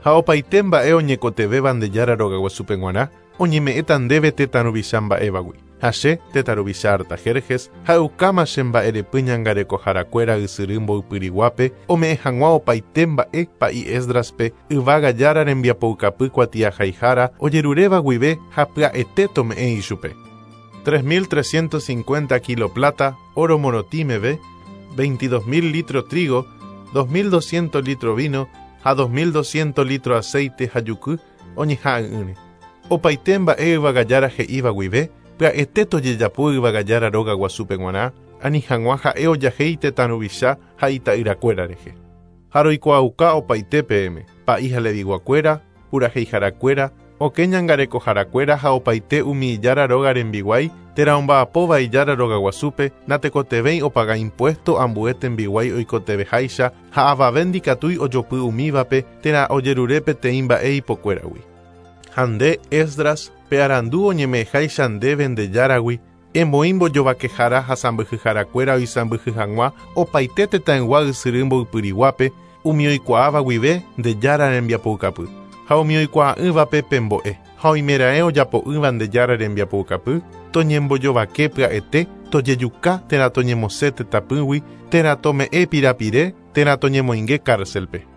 Ha opaite mba'e oñekotevẽva Ñandejára rogaguasúpe g̃uarã oñeme'ẽta ndéve tetã ruvicha mba'évagui. Ha che, tetã ruvicha Artajerjes, ha'eukáma che mba'erepy ñangarekoharakuéra ysyry mboypyriguápe ome'ẽ hag̃ua opaite mba'e pa'i Esdraspe yvága jára rembiapoukapy kuatiahaihára ojeruréva guive ha pya'ete tome'ẽ ichupe. tres mil trescientos cincuenta kilo plata, oro morotĩ meve, veintidós mil litro trigo, dos mil doscientos litro vino ha dos mil doscientos litro aceite ha juky oñeha'ỹre. Opaite mba'e yvagajára he'íva guive, pya'ete tojejapo yvagajára rogaguasúpe g̃uarã, ani hag̃ua ha'e ojahéi tetã ruvicha ha ita'yrakuéra rehe. Ha roikuaauka opaite peẽme, pa'i ha leviguakuéra, puraheiharakuéra, oke ñangarekoharakuéra ha opaite umi ijára róga rembiguái, térã omba'apóva ijára rogaguasúpe, natekotevẽi opaga impuesto ambue tembiguái oikotevẽháicha ha avave ndikatúi ojopy umívape térã ojerure peteĩ mba'e ipokuéragui. Ha nde, Esdras, pe arandu oñeme'ẽháicha ndéve Ñandejáragui, emoĩ mbojovakehára ha sãmbyhyharakuéra oisãmbyhy hag̃ua opaite tetãygua ysyry mboypyriguápe, Umi oikuaáva guive nde Jára rembiapoukapy. Ha umi oikuaa'ỹvape pembo'e. Ha oimeraẽ ojapo'ỹva nde Jára rembiapoukapy, toñembojovake pya'ete, tojejuka térã toñemosẽ tetãpýgui, térã tome'ẽ pirapire, térã toñemoinge cárcelpe.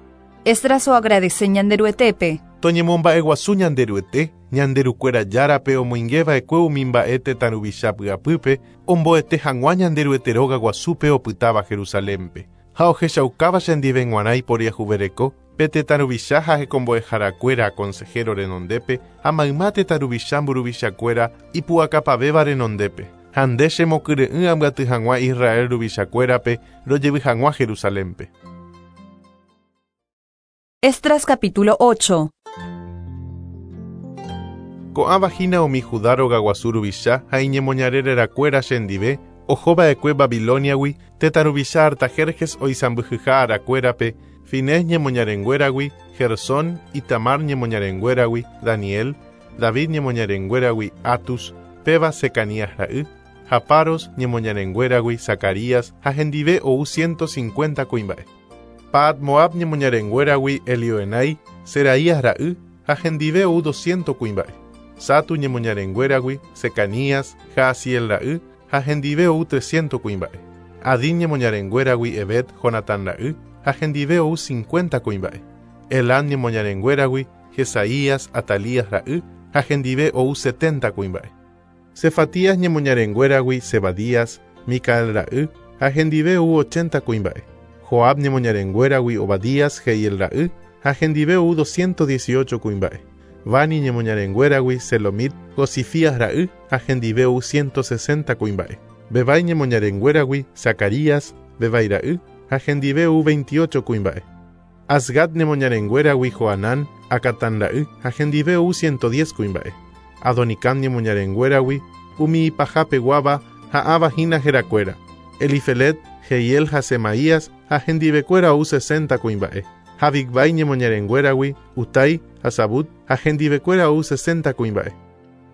Esdras oagradece Ñanderuetépe. Toñemomba'eguasu Ñanderuete, Ñanderukuéra Járape omoingeva'ekue umi mba'e tetã ruvicha py'apýpe, omboete hag̃ua Ñanderuete róga guasúpe opytáva Jerusalénpe. Ha ohechaukáva chendive g̃uarã iporiahuvereko, pe tetã ruvicha ha hekombo'eharakuéra consejero renondépe ha mayma tetã ruvicha mburuvichakuéra ipu'akapavéva renondépe. Ha nde chemokyre'ỹ ambyaty hag̃ua Israel ruvichakuérape rojevy hag̃ua Jerusalénpe. Esdras capítulo ocho. Ko'ãva hína umi Judá rogaguasu ruvicha ha iñemoñare rerakuéra chendive ohova'ekue Babiloniagui tetã ruvicha Artajerjes oisãmbyhyha arakuérape, Finés ñemoñarenguéragui, Gersón, Itamar ñemoñarenguéragui, Daniel, David ñemoñarenguéragui, Atus, péva Secanías ra'y, ha Paros ñemoñarenguéragui, Zacarías, ha hendive ou ciento cincuenta kuimba'e. Paat Moab ñemoñarenguéragui, Elioenai, Seraías ra'y, ha hendive ou doscientos kuimba'e. Satu ñemoñarenguéragui, Secanías, Jaasiel ra'y, ha hendive ou trescientos kuimba'e. Adín ñemoñarenguéragui, Ebed, Jonatán ra'y, ha hendive ou cincuenta kuimba'e. Elán ñemoñarenguéragui, Jesaías, Atalías ra'y, ha hendive ou setenta kuimba'e. Cefatías ñemoñarenguéragui, Zebadías, Micael ra'y, ha hendive ou ochenta kuimba'e. Joab ñemoñarenguéragui, Obadías, Jehiel ra'y, ha hendive ou doscientos dieciocho kuimba'e. Bani ñemoñarenguéragui, Selomit, Josifías ra'y, ha hendive ou ciento sesenta kuimba'e. Bebai ñemoñarenguéragui, Zacarías, Bebai ra'y, ha hendive ou veintiocho kuimba'e. Azgad ñemoñarenguéragui, Joanán, Acatán ra'y, ha hendive ou ciento diez kuimba'e. Adonicam ñemoñarenguéragui, umi ipahapeguáva ha ãva hína herakuéra. Elifelet, Jehiel ha Semaías, ha hendivekuéra ou sesenta kuimba'e. Ha Bigvai ñemoñarenguéragui, Utai, ha Zabud, ha hendivekuéra ou sesenta kuimba'e.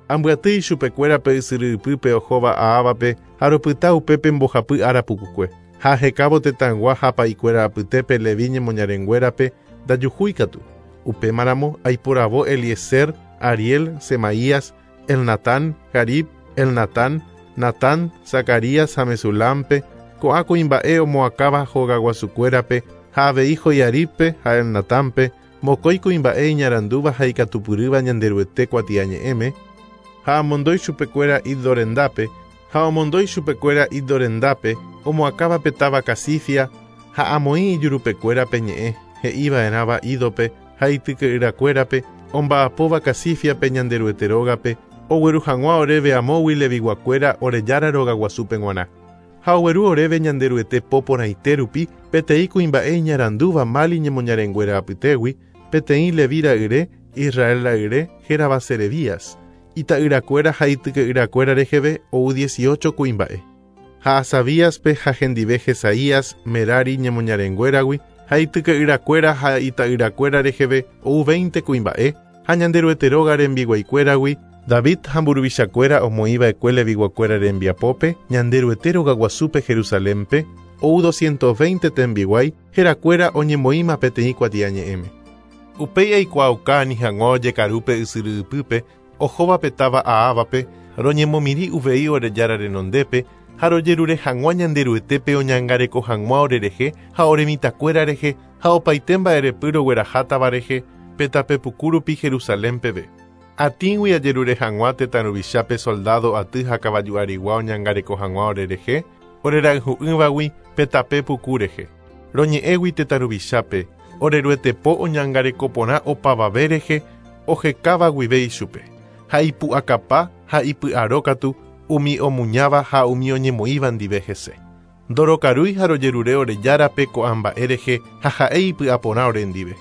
Ambyaty ichupekuérape ysyry ypýpe ohóva Aávape ha ropyta upépe mbohapy ára pukukue. Ha ahekávo tetãygua ha pa'ikuéra apytépe Levi ñemoñarenguérape ndajuhúikatu. Upémaramo aiporavo Eliezer, Ariel, Semaías, Elnatán, Jarib, Elnatán, Natán, Zacarías ha Mesulampe, ko'ã kuimba'e omoakãva hogaguasukuérape ha avei Joiaribpe ha Elnatánpe, mokõi kuimba'e iñarandúva ha ikatupyrýva Ñanderuete kuatiañe'ẽme, ha amondói chupekuéra Iddo rendápe, ha omondói chupekuéra Iddo rendápe, omoakãva pe táva Casifia, ha amoĩ ijurupekuérape ñe'ẽ, he'iva'erãva Ídope ha ityke'yrakuérape, omba'apóva Casifiape Ñanderuete rógape, ogueru hag̃ua oréve amógui leviguakuéra ore Jára rogaguasúpe g̃uarã. Ha ogueru oréve Ñanderuete po porãite rupi, peteĩ kuimba'e iñarandúva Mali ñemoñarenguéra apytégui, peteĩ Levi ra'yre, Israel ra'yre, hérava Serebías. Ita'yrakuéra ha ityke'yrakuéra reheve ou dieciocho kuimba'e. Ha Asabíaspe ha hendive Jesaías, Merari ñemoñarenguéragui, ha ityke'yrakuéra ha ita'yrakuéra reheve ou veinte kuimba'e, ha Ñanderuete róga rembiguaikuéragui, David ha mburuvichakuéra omoĩva'ekue leviguakuéra rembiapópe, Ñanderuete rogaguasúpe Jerusalénpe, ou doscientos veinte tembiguái, herakuéra oñemoĩma peteĩ kuatiañe'ẽme. Upéi aikuaauka ani hag̃ua ojekarúpe ysyry ypýpe, ohóva pe táva Aávape, roñemomirĩ uvei ore Jára renondépe, ha rojerure hag̃ua Ñanderuetépe oñangareko hag̃ua orerehe ha ore mitãkuéra rehe ha opaite mba'erepy roguerahátava rehe pe tape puku rupi Jerusalén peve. Atĩgui ajerure hag̃ua tetã ruvichápe soldado aty ha kavaju arigua oñangareko hag̃ua orerehe, orerayhu'ỹvagui pe tape puku rehe. Roñe'ẽgui tetã ruvichápe, oreruetepo oñangareko porã opavave rehe ohekáva guive ichupe. Ha ipu'akapa ha ipy'arókatu umi omuñáva ha umi oñemoĩva ndive hese. Ndorokarúi ha rojerure ore Járape ko'ã mba'e rehe ha ha'e ipy'aporã ore ndive.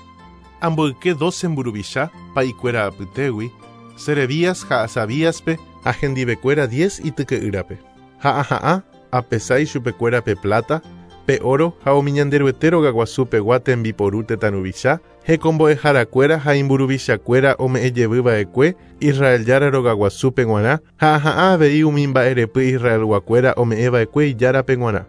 Amboyke doce mburuvicha pa'ikuéra apytégui, Serebías ha Asabíaspe ha hendivekuéra diez ityke'ýrape. Ha aha'ã apesá ichupekuéra pe plata, pe oro ha umi Ñanderuete rogaguasupegua tembiporu tetã ruvicha, hekombo'eharakuéra ha imburuvichakuéra ome'ẽjevyva'ekue Israel Jára rogaguasúpe g̃uarã ha aha'ã avei umi mba'erepy Israelguakuéra ome'ẽva'ekue Ijárape g̃uarã.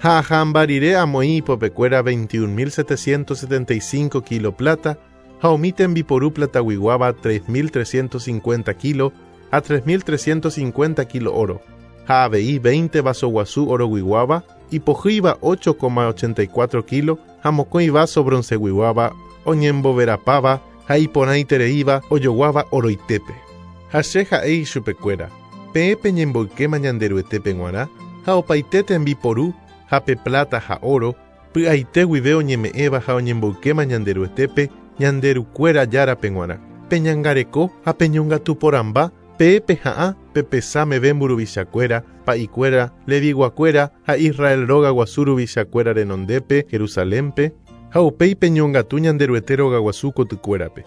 Ha aha'ãmba rire amoĩ ipopekuéra veintiún mil setecientos setenta y cinco kilo plata ha umi tembiporu plataguiguáva tres mil trescientos cincuenta kilo ha tres mil trescientos cincuenta kilo oro ha avei veinte vaso guasu oroguiguáva ipohýiva ocho coma ochenta y cuatro kilo ha mokõi vaso bronceguiguáva oñemboverapáva ha iporãitereíva ojoguáva oroitépe. Ha che ha'e ichupekuéra, peẽ peñemboykéma Ñanderuetépe g̃uarã ha opaite tembiporu ha pe plata ha oro py'aite guive oñeme'ẽva ha oñemboykéma Ñanderuetépe Ñanderukuéra járape g̃uarã. Peñangareko ha peñongatuporãmba peẽ peha'ã pepesa meve mburuvichakuéra, pa'ikuéra, leviguakuéra ha Israel róga guasu ruvichakuéra renondépe Jerusalénpe ha upéi peñongatu Ñanderuete rogaguasu kotykuérape.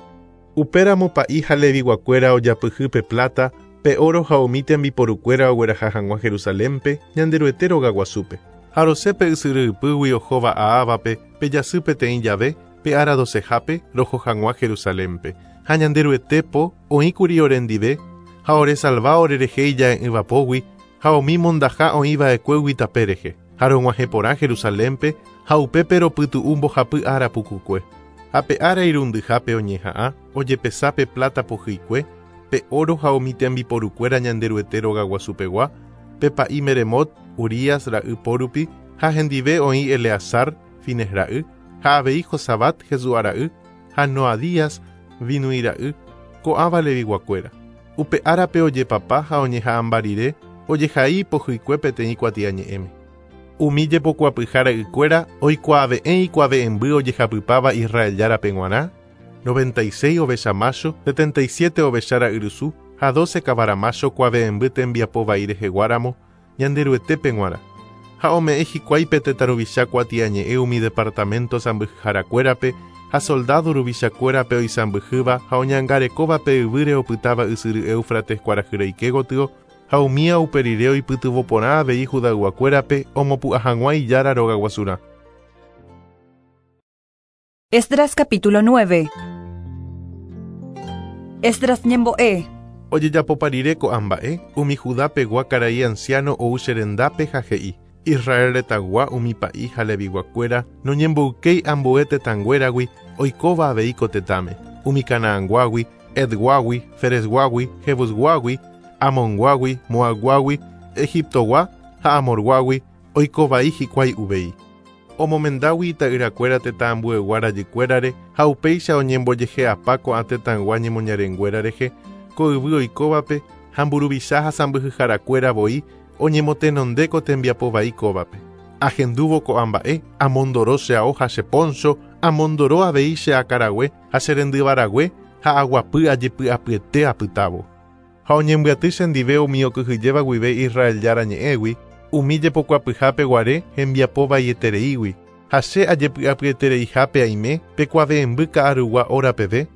Upéramo pa'i ha leviguakuéra ojapyhy pe plata, pe oro ha umi tembiporukuéra ogueraha hag̃ua Jerusalénpe Ñanderuete rogaguasúpe. Ha rosẽ pe ysyry ypýgui ohóva Ahávape pe jasy peteĩ jave pe ára docehápe roho hag̃ua Jerusalénpe. Ha Ñanderuete po oĩkuri orendive ha oresalva orerehe ija'e'ỹvapógui ha umi mondaha oĩva'ekuégui tape rehe. Ha rog̃uahẽ porã Jerusalénpe ha upépe ropytu'u mbohapy ára pukukue. Ha pe ára irundyhápe oñeha'ã ojepesa pe plata pohyikue, pe oro ha umi tembiporukuéra Ñanderuete rogaguasupegua, pe pa'i Meremot, Urías ra'y porupi, ha hendive oĩ Eleazar, Fines ra'y, ha avei Josabat Jesúa ra'y, ha Noadías, Binui ra'y, ko'ãva leviguakuéra. Upe árape ojepapa ha oñeha'ãmba rire, ojehai pohyikue peteĩ kuatiañe'ẽme. Umi jepokuapyha ra'ykuéra oikuaave'ẽ ikuave'ẽmby ojehapypáva Israel járape g̃uarã, noventa y seis ovecha macho, setenta y siete ovecha ra'yrusu ha doce kavara macho kuave'ẽmby tembiapo vai reheguáramo Ñanderuetépe g̃uarã. Ha ome'ẽ hikuái pe tetã ruvicha kuatiañe'ẽ umi departamento sãmbyhyharakuérape ha soldado ruvichakuérape oisãmbyhýva ha oñangarekóva pe yvýre opytáva ysyry Éufrates kuarahyreike gotyo ha umía uperire oipytyvõporã avei Judayguakuérape omopu'ã hag̃ua ijára rogaguasurã. Esdras capítulo nueve. Esdras ñembo'e. Ojejapopa rire ko'ã mba'e, umi Judapegua karai anciano ou cherendápe ha he'i, Israel retãygua umi pa'i ha leviguakuéra noñemboykéi ambue tetãnguéragui oikóva avei ko tetãme, umi Canaanguágui, Edguágui, Ferezguágui, Jebusguágui, Amonguágui, Moabguágui, Egiptogua ha Amorguágui oikovai hikuái uvei. Omomendágui ita'yrakuéra tetã ambuegua rajykuérare ha upéicha oñembojehe'apa ko'ã tetãygua ñemoñarenguéra rehe ko yvy oikóvape ha mburuvicha ha sãmbyhyharakuéra voi oñemotenonde ko tembiapo vai kóvape. Ahendúvo ko'ã mba'e, amondoro che ao ha che poncho, amondoro avei che akarague ha che rendyvarague ha aguapy ajepy'apyete apytávo. Ha oñembyaty chendive umi okyhyjéva guive Israel jára ñe'ẽgui, umi jepokuapyhápe guare hembiapo vaietereígui, ha che ajepy'apyetereihápe aime pe kuave'ẽmby ka'arugua óra peve,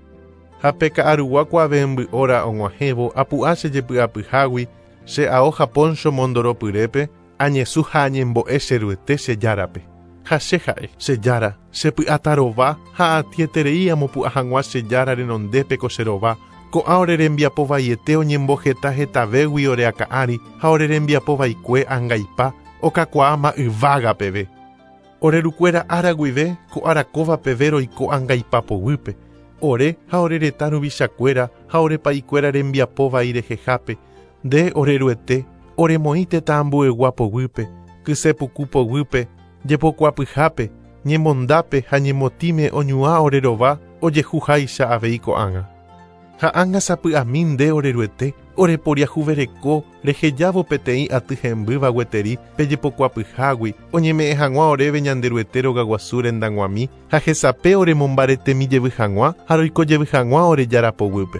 ha pe ka'arugua kuave'ẽmby óra og̃uahẽvo apu'a che jepy'apyhágui che ao ha poncho mondoropyrépe, añesu ha añembo'e cheruete che járape. Ha che ha'e, che jára, che py'atarova ha atieterei amopu'ã hag̃ua che jára renondépe ko che rova, ko'ã ore rembiapo vaiete oñemboheta hetavégui ore akã'ári ha ore rembiapo vaikue angaipa okakuaáma yvága peve. Ore rukuéra ára guive ko ára kóva peve roiko angaipa poguýpe, ore ha ore retã ruvichakuéra ha ore pa'ikuéra rembiapo vai rehehápe, nde ore ruete, oremoĩ tetã ambuegua poguýpe, kysepuku poguýpe, jepokuapyhápe, ñemondápe ha ñemotĩme oñuã ore rova ojehuháicha avei ko'ág̃a. Ha ág̃a sapy'ami nde ore ruete, oreporiahuvereko rehejávo peteĩ aty hembýva gueteri pejepokuapyhágui oñeme'ẽ hag̃ua oréve Ñanderuete rogaguasu rendag̃uami ha hesape oremombaretemi jevy hag̃ua ha roiko jevy hag̃ua ore jára poguýpe.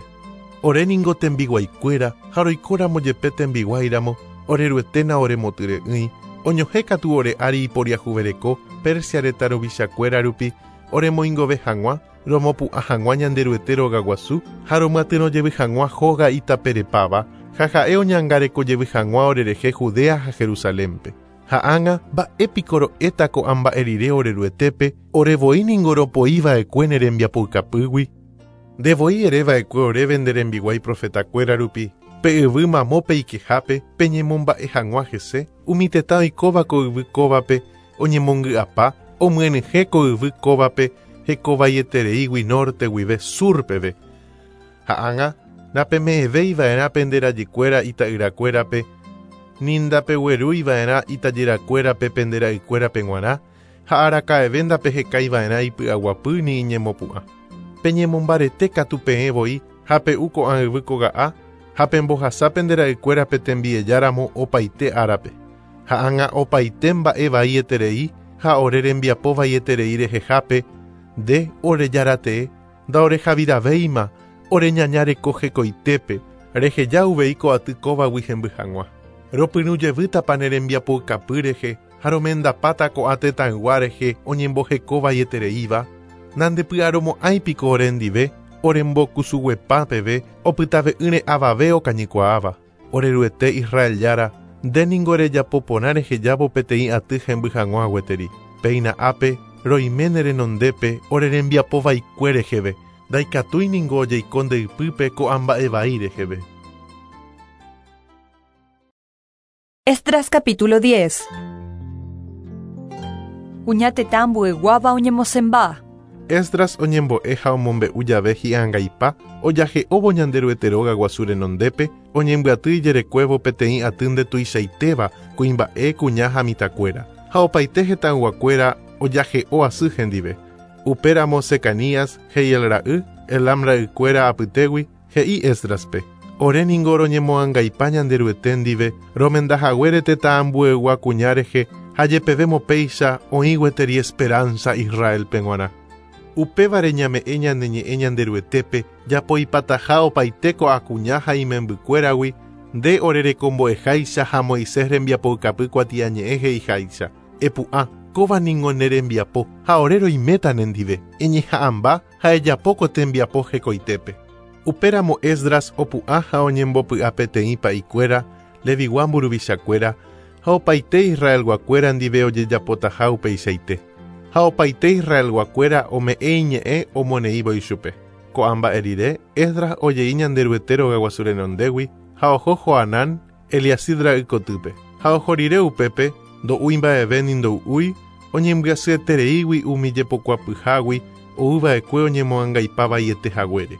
Ore ningo tembiguaikuéra ha roikóramo jepe tembiguáiramo ore rueténa oremotyre'ỹi oñohẽ katu ore ári iporiahuvereko Persia retã ruvichakuéra rupi oremoingove hag̃ua romopu'ã hag̃ua Ñanderuete rogaguasu ha romyatyrõ jevy hag̃ua hóga itaperepáva ha ha'e oñangareko jevy hag̃ua orerehe Judea ha Jerusalénpe. Ha ág̃a mba'épiko ro'éta ko'ã mba'e rire ore ruetépe orevoi ningo ropoiva'ekue ne rembiapoukapýgui. Ndevoi ereva'ekue oréve nde rembiguái profetakuéra rupi, pe yvy mamo peikehápe peñemomba'e hag̃ua hese, umi tetã oikóva ko yvy kóvape Oñemongy'apa omyenyhẽ ko yvy kóvape hekovaietereígui norte guive sur peve. Ha ág̃a napeme'ẽvéiva'erã pende rajykuéra ita'yrakuérape ni ndapeguerúiva'erã itajyrakuérape pende ra'ykuérape g̃uarã ha araka'eve ndapehekaiva'erã ipy'aguapy ni iñemopu'ã. Peñemombarete katu peẽ voi ha pe'u ko'ã yvy koga'a ha pembohasa pende ra'ykuérape tembiejáramo opaite árape. Ha ág̃a opaite mba'e vaieterei ha ore rembiapo vaieterei rehehápe nde orejaratee ndaorehaviravéima oreñaña reko hekoitépe reheja uvei ko aty kóvagui hemby hag̃ua. Ropyrũjevýtapa ne rembiapoukapy rehe ha romendapáta ko'ã tetãygua rehe oñemboheko vaietereíva nandepy'aromo'ãipiko orendive orembokusuguepa peve opytave'ỹre avave okañykuaáva. Oreruete Israel Jára nde ningo rejapo porã rehejávo peteĩ aty hemby hag̃ua gueteri. Péina ápe roime ne renondépe ore rembiapo vaikue reheve ndaikatúi ningo ojeiko nde ypýpe ko'ã mba'e vai reheve. Esdras capítulo diez. Kuña tetã ambueguáva oñemosẽmba. Esdras oñembo'e ha omombe'u jave hi'angaipa ojahe'óvo Ñanderuete róga guasu renondépe oñembyaty ijerekuévo peteĩ aty ndetuichaitéva kuimba'e kuña ha mitãkuéra ha opaite hetãyguakuéra ojahe'o asy hendive. Upéramo Secanías Jehiel ra'y Elam ra'ykuéra apytégui he'i Esdraspe: Ore ningo roñemoangaipa Ñanderuete ndive romendahaguére tetã ambuegua kuña rehe ha jepevemo péicha oĩ gueteri esperanza Israelpe g̃uarã. Upévare ñame'ẽ ñane ñe'ẽ Ñanderuetépe japoipataha opaite ko'ã kuña ha imembykuéragui nde orerekombo'eháicha ha Moisés rembiapoukapy kuatiañe'ẽ he'iháicha. Epu'ã kóva ningo ne rembiapo ha ore roiméta nendive eñeha'ãmba ha ejapo ko tembiapo hekoitépe. Upéramo Esdras opu'ã ha oñembopy'a peteĩ pa'ikuéra Levigua mburuvichakuéra ha opaite Israelguakuéra ndive ojejapotaha upeichaite. Ha opaite Israelguakuéra ome'ẽ iñe'ẽ omoneívo ichupe. Ko'ã mba'e rire Esdras ojei Ñanderuete rogaguasu renondégui ha oho Joanán Eliasib ra'y kotýpe. Ha oho rire upépe ndo'úi mba'eve ni ndo'úi oñembyasyetereígui umi jepokuapyhágui oúva'ekue oñemoangaipa vaiete haguére.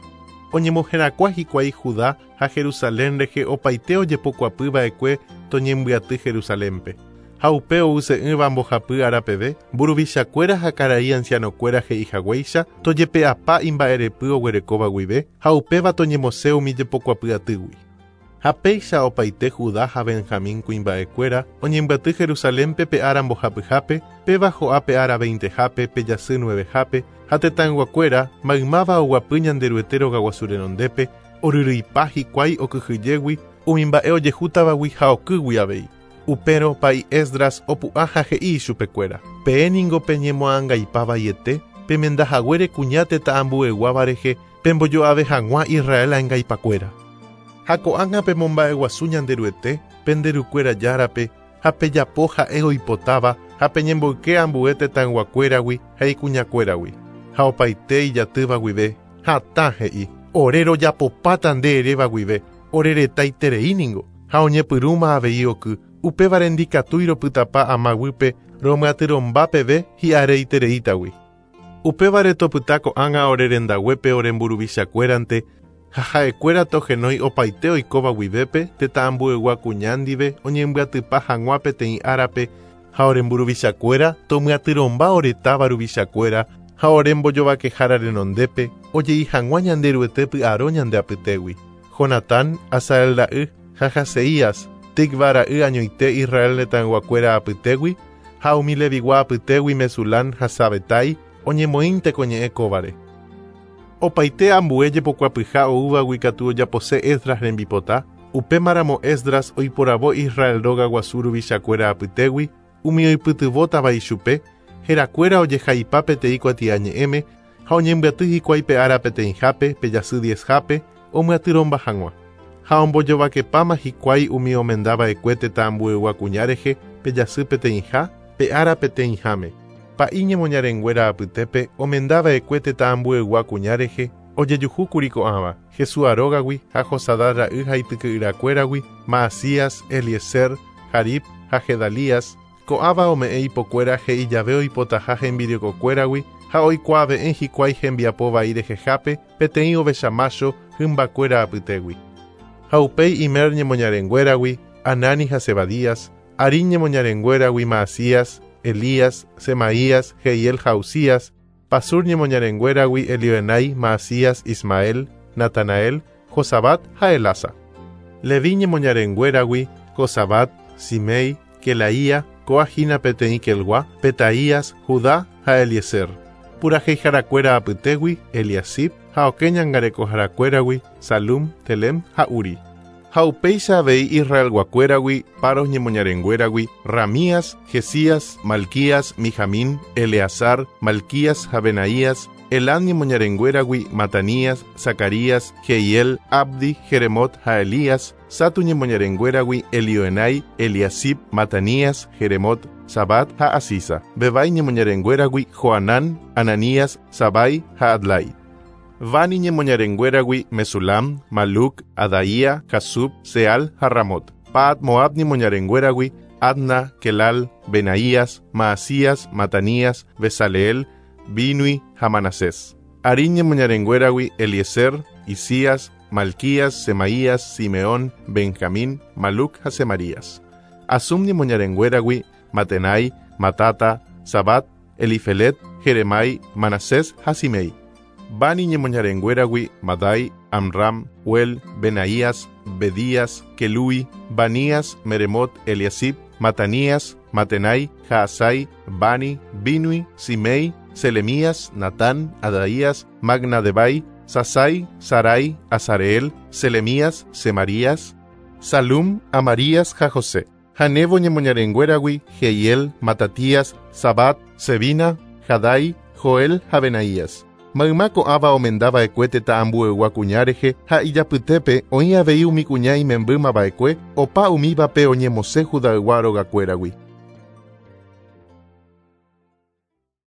Oñemoherakuã hikuái Judá ha Jerusalén rehe opaite ojepokuapyva'ekue toñembyaty Jerusalénpe. Ha upe ouse'ỹva mbohapy árapeve mburuvichakuéra ha karai ancianokuéra he'ihaguéicha tojepe'apa imba'erepy oguerekóva guive ha upéva toñemosẽ umi jepokuapy atýgui. Ha péicha opaite Judá ha Benjamín kuimba'ekuéra oñembyaty Jerusalénpe pe ára mbohapyhápe péva ho'a pe ára veintehápe pe jasy nuevehápe ha tetãyguakuéra maymáva oguapy Ñanderuete rogaguasu renondépe oryryipa hikuái okyhyjégui umi mba'e ojehútavagui ha okýgui avei. Upérõ pa'i Esdras opu'ã ha he'i ichupekuéra: Peẽ ningo peñemoangaipa vaiete pemendahaguére kuña tetã ambueguáva rehe pembojo'ave hag̃ua Israel angaipakuéra. Ha ko'ág̃a pemomba'eguasu Ñanderuete penderukuéra Járape ha pejapo ha'e oipotáva ha peñemboyke ambue tetãyguakuéragui ha ikuñakuéragui. Ha opaite ijatýva guive hatã he'i: Ore rojapopáta nde eréva guive ore retaiterei ningo. Ha oñepyrũma avei oky upévare ndikatúi ropytapa amaguýpe romyatyrõmba peve hi'areitereítagui. Upévare topyta ko'ág̃a ore rendaguépe ore mburuvichakuérante ha ha'ekuéra tohenói opaite oikóva guivépe tetã ambuegua kuña ndive oñembyatypa hag̃ua peteĩ árape ha ore mburuvichakuéra tomyatyrõmba ore táva ruvichakuéra ha ore mbojovakehára renondépe ojei hag̃ua Ñanderuete py'aro ñande apytégui. Jonatán, Asael ra'y ha Jaseías, Tikva ra'y añoite Israel retãyguakuéra apytégui ha umi Levigua apytégui Mesulán ha Sabetai oñemoĩnte ko ñe'ẽ kóvare. Opaite ambue jepokuapyha oúvagui katu ojapose Esdras rembipota, upémaramo Esdras oiporavo Israel róga guasu ruvichakuéra apytégui umi oipytyvõtava ichupe herakuéra ojehaipa peteĩ kuatiañe'ẽme ha oñembyaty hikuái pe ára peteĩhápe pe jasy diezhápe omyatyrõmba hag̃ua. Ha ombojovakepáma hikuái umi omendava'ekue tetã ambuegua kuña rehe pe jasy peteĩha pe ára peteĩháme. Pa'i ñemoñarenguéra apytépe omendava'ekue tetã ambuegua kuña rehe ojejuhúkuri ko'ãva Jesúa rógagui ha Josadá ra'y ha ityke'yrakuéragui Maasías, Eliezer, Jarib ha Gedalías, Ko'ãva ome'ẽ ipokuéra he'i jave oipotaha hembirekokuéragui ha oikuave'ẽ hikuái hembiapo vai rehehápe peteĩ ovecha mácho hymbakuéra apytégui. Ha upéi Imer ñemoñarenguéragui Anani ha Zebadías, Arín ñemoñarenguéragui Maasías, Elías, Semaías, Jehiel ha Uzías, Pasur ñemoñarenguéragui Elioenai, Maasías, Ismael, Natanael, Josabat ha Elasa. Leví ñemoñarenguéragui Josabat, Simei, Kelaía, kóa hína peteĩ Kelgua, Petaías, Judá ha Eliezer. Puraheiharakuéra apytégui Eliasib ha okẽ ñangarekoharakuéragui Salum, Telem ha Uri. Ha upéicha avei Israelguakuéragui, Paros ñemoñarenguéragui, Ramías, Jesías, Malquías, Mijamín, Eleazar, Malquías ha Benaías, Elam ñemoñarenguéragui, Matanías, Zacarías, Jehiel, Abdi, Jeremot ha Elías, Satu ñemoñarenguéragui, Elioenai, Eliasib, Matanías, Jeremot, Sabat ha Asisa. Bebai ñemoñarenguéragui, Joanán, Ananías, Sabai ha Adlai. Bani ñemoñarenguéragui, Mesulam, Maluc, Adaía, Jasub, Seal ha Ramot. Paat Moab ñemoñarenguéragui, Adna, Kelal, Benaías, Maasías, Matanías, Besaleel, Binui ha Manasés. Arín ñemoñarenguéragui, Eliezer, Isías, Malquías, Semaías, Simeón, Benjamín, Maluc ha Semarías. Asum ñemoñarenguéragui, Matenai, Matata, Sabat, Elifelet, Jeremai, Manasés ha Simei. Bani ñemoñarenguéragui, Madai, Amram, Uel, Benaías, Bedías, Kelui, Banías, Meremot, Eliasib, Matanías, Matenai, Jaasai, Bani, Binui, Simei, Selemías, Natán, Adaías, Magnadebai, Sasai, Sarai, Azareel, Selemías, Semarías, Salum, Amarías ha José. Ha Nebo ñemoñarenguéragui, Jehiel, Matatías, Sabat, Sebina, Jadai, Joel ha Benaías. Mayma ko'ãva omendava'ekue tetã ambuegua kuña rehe ha ijapytépe oĩ avei umi kuña imembýmava'ekue opa umívape oñemosẽ Judaygua rogakuéragui.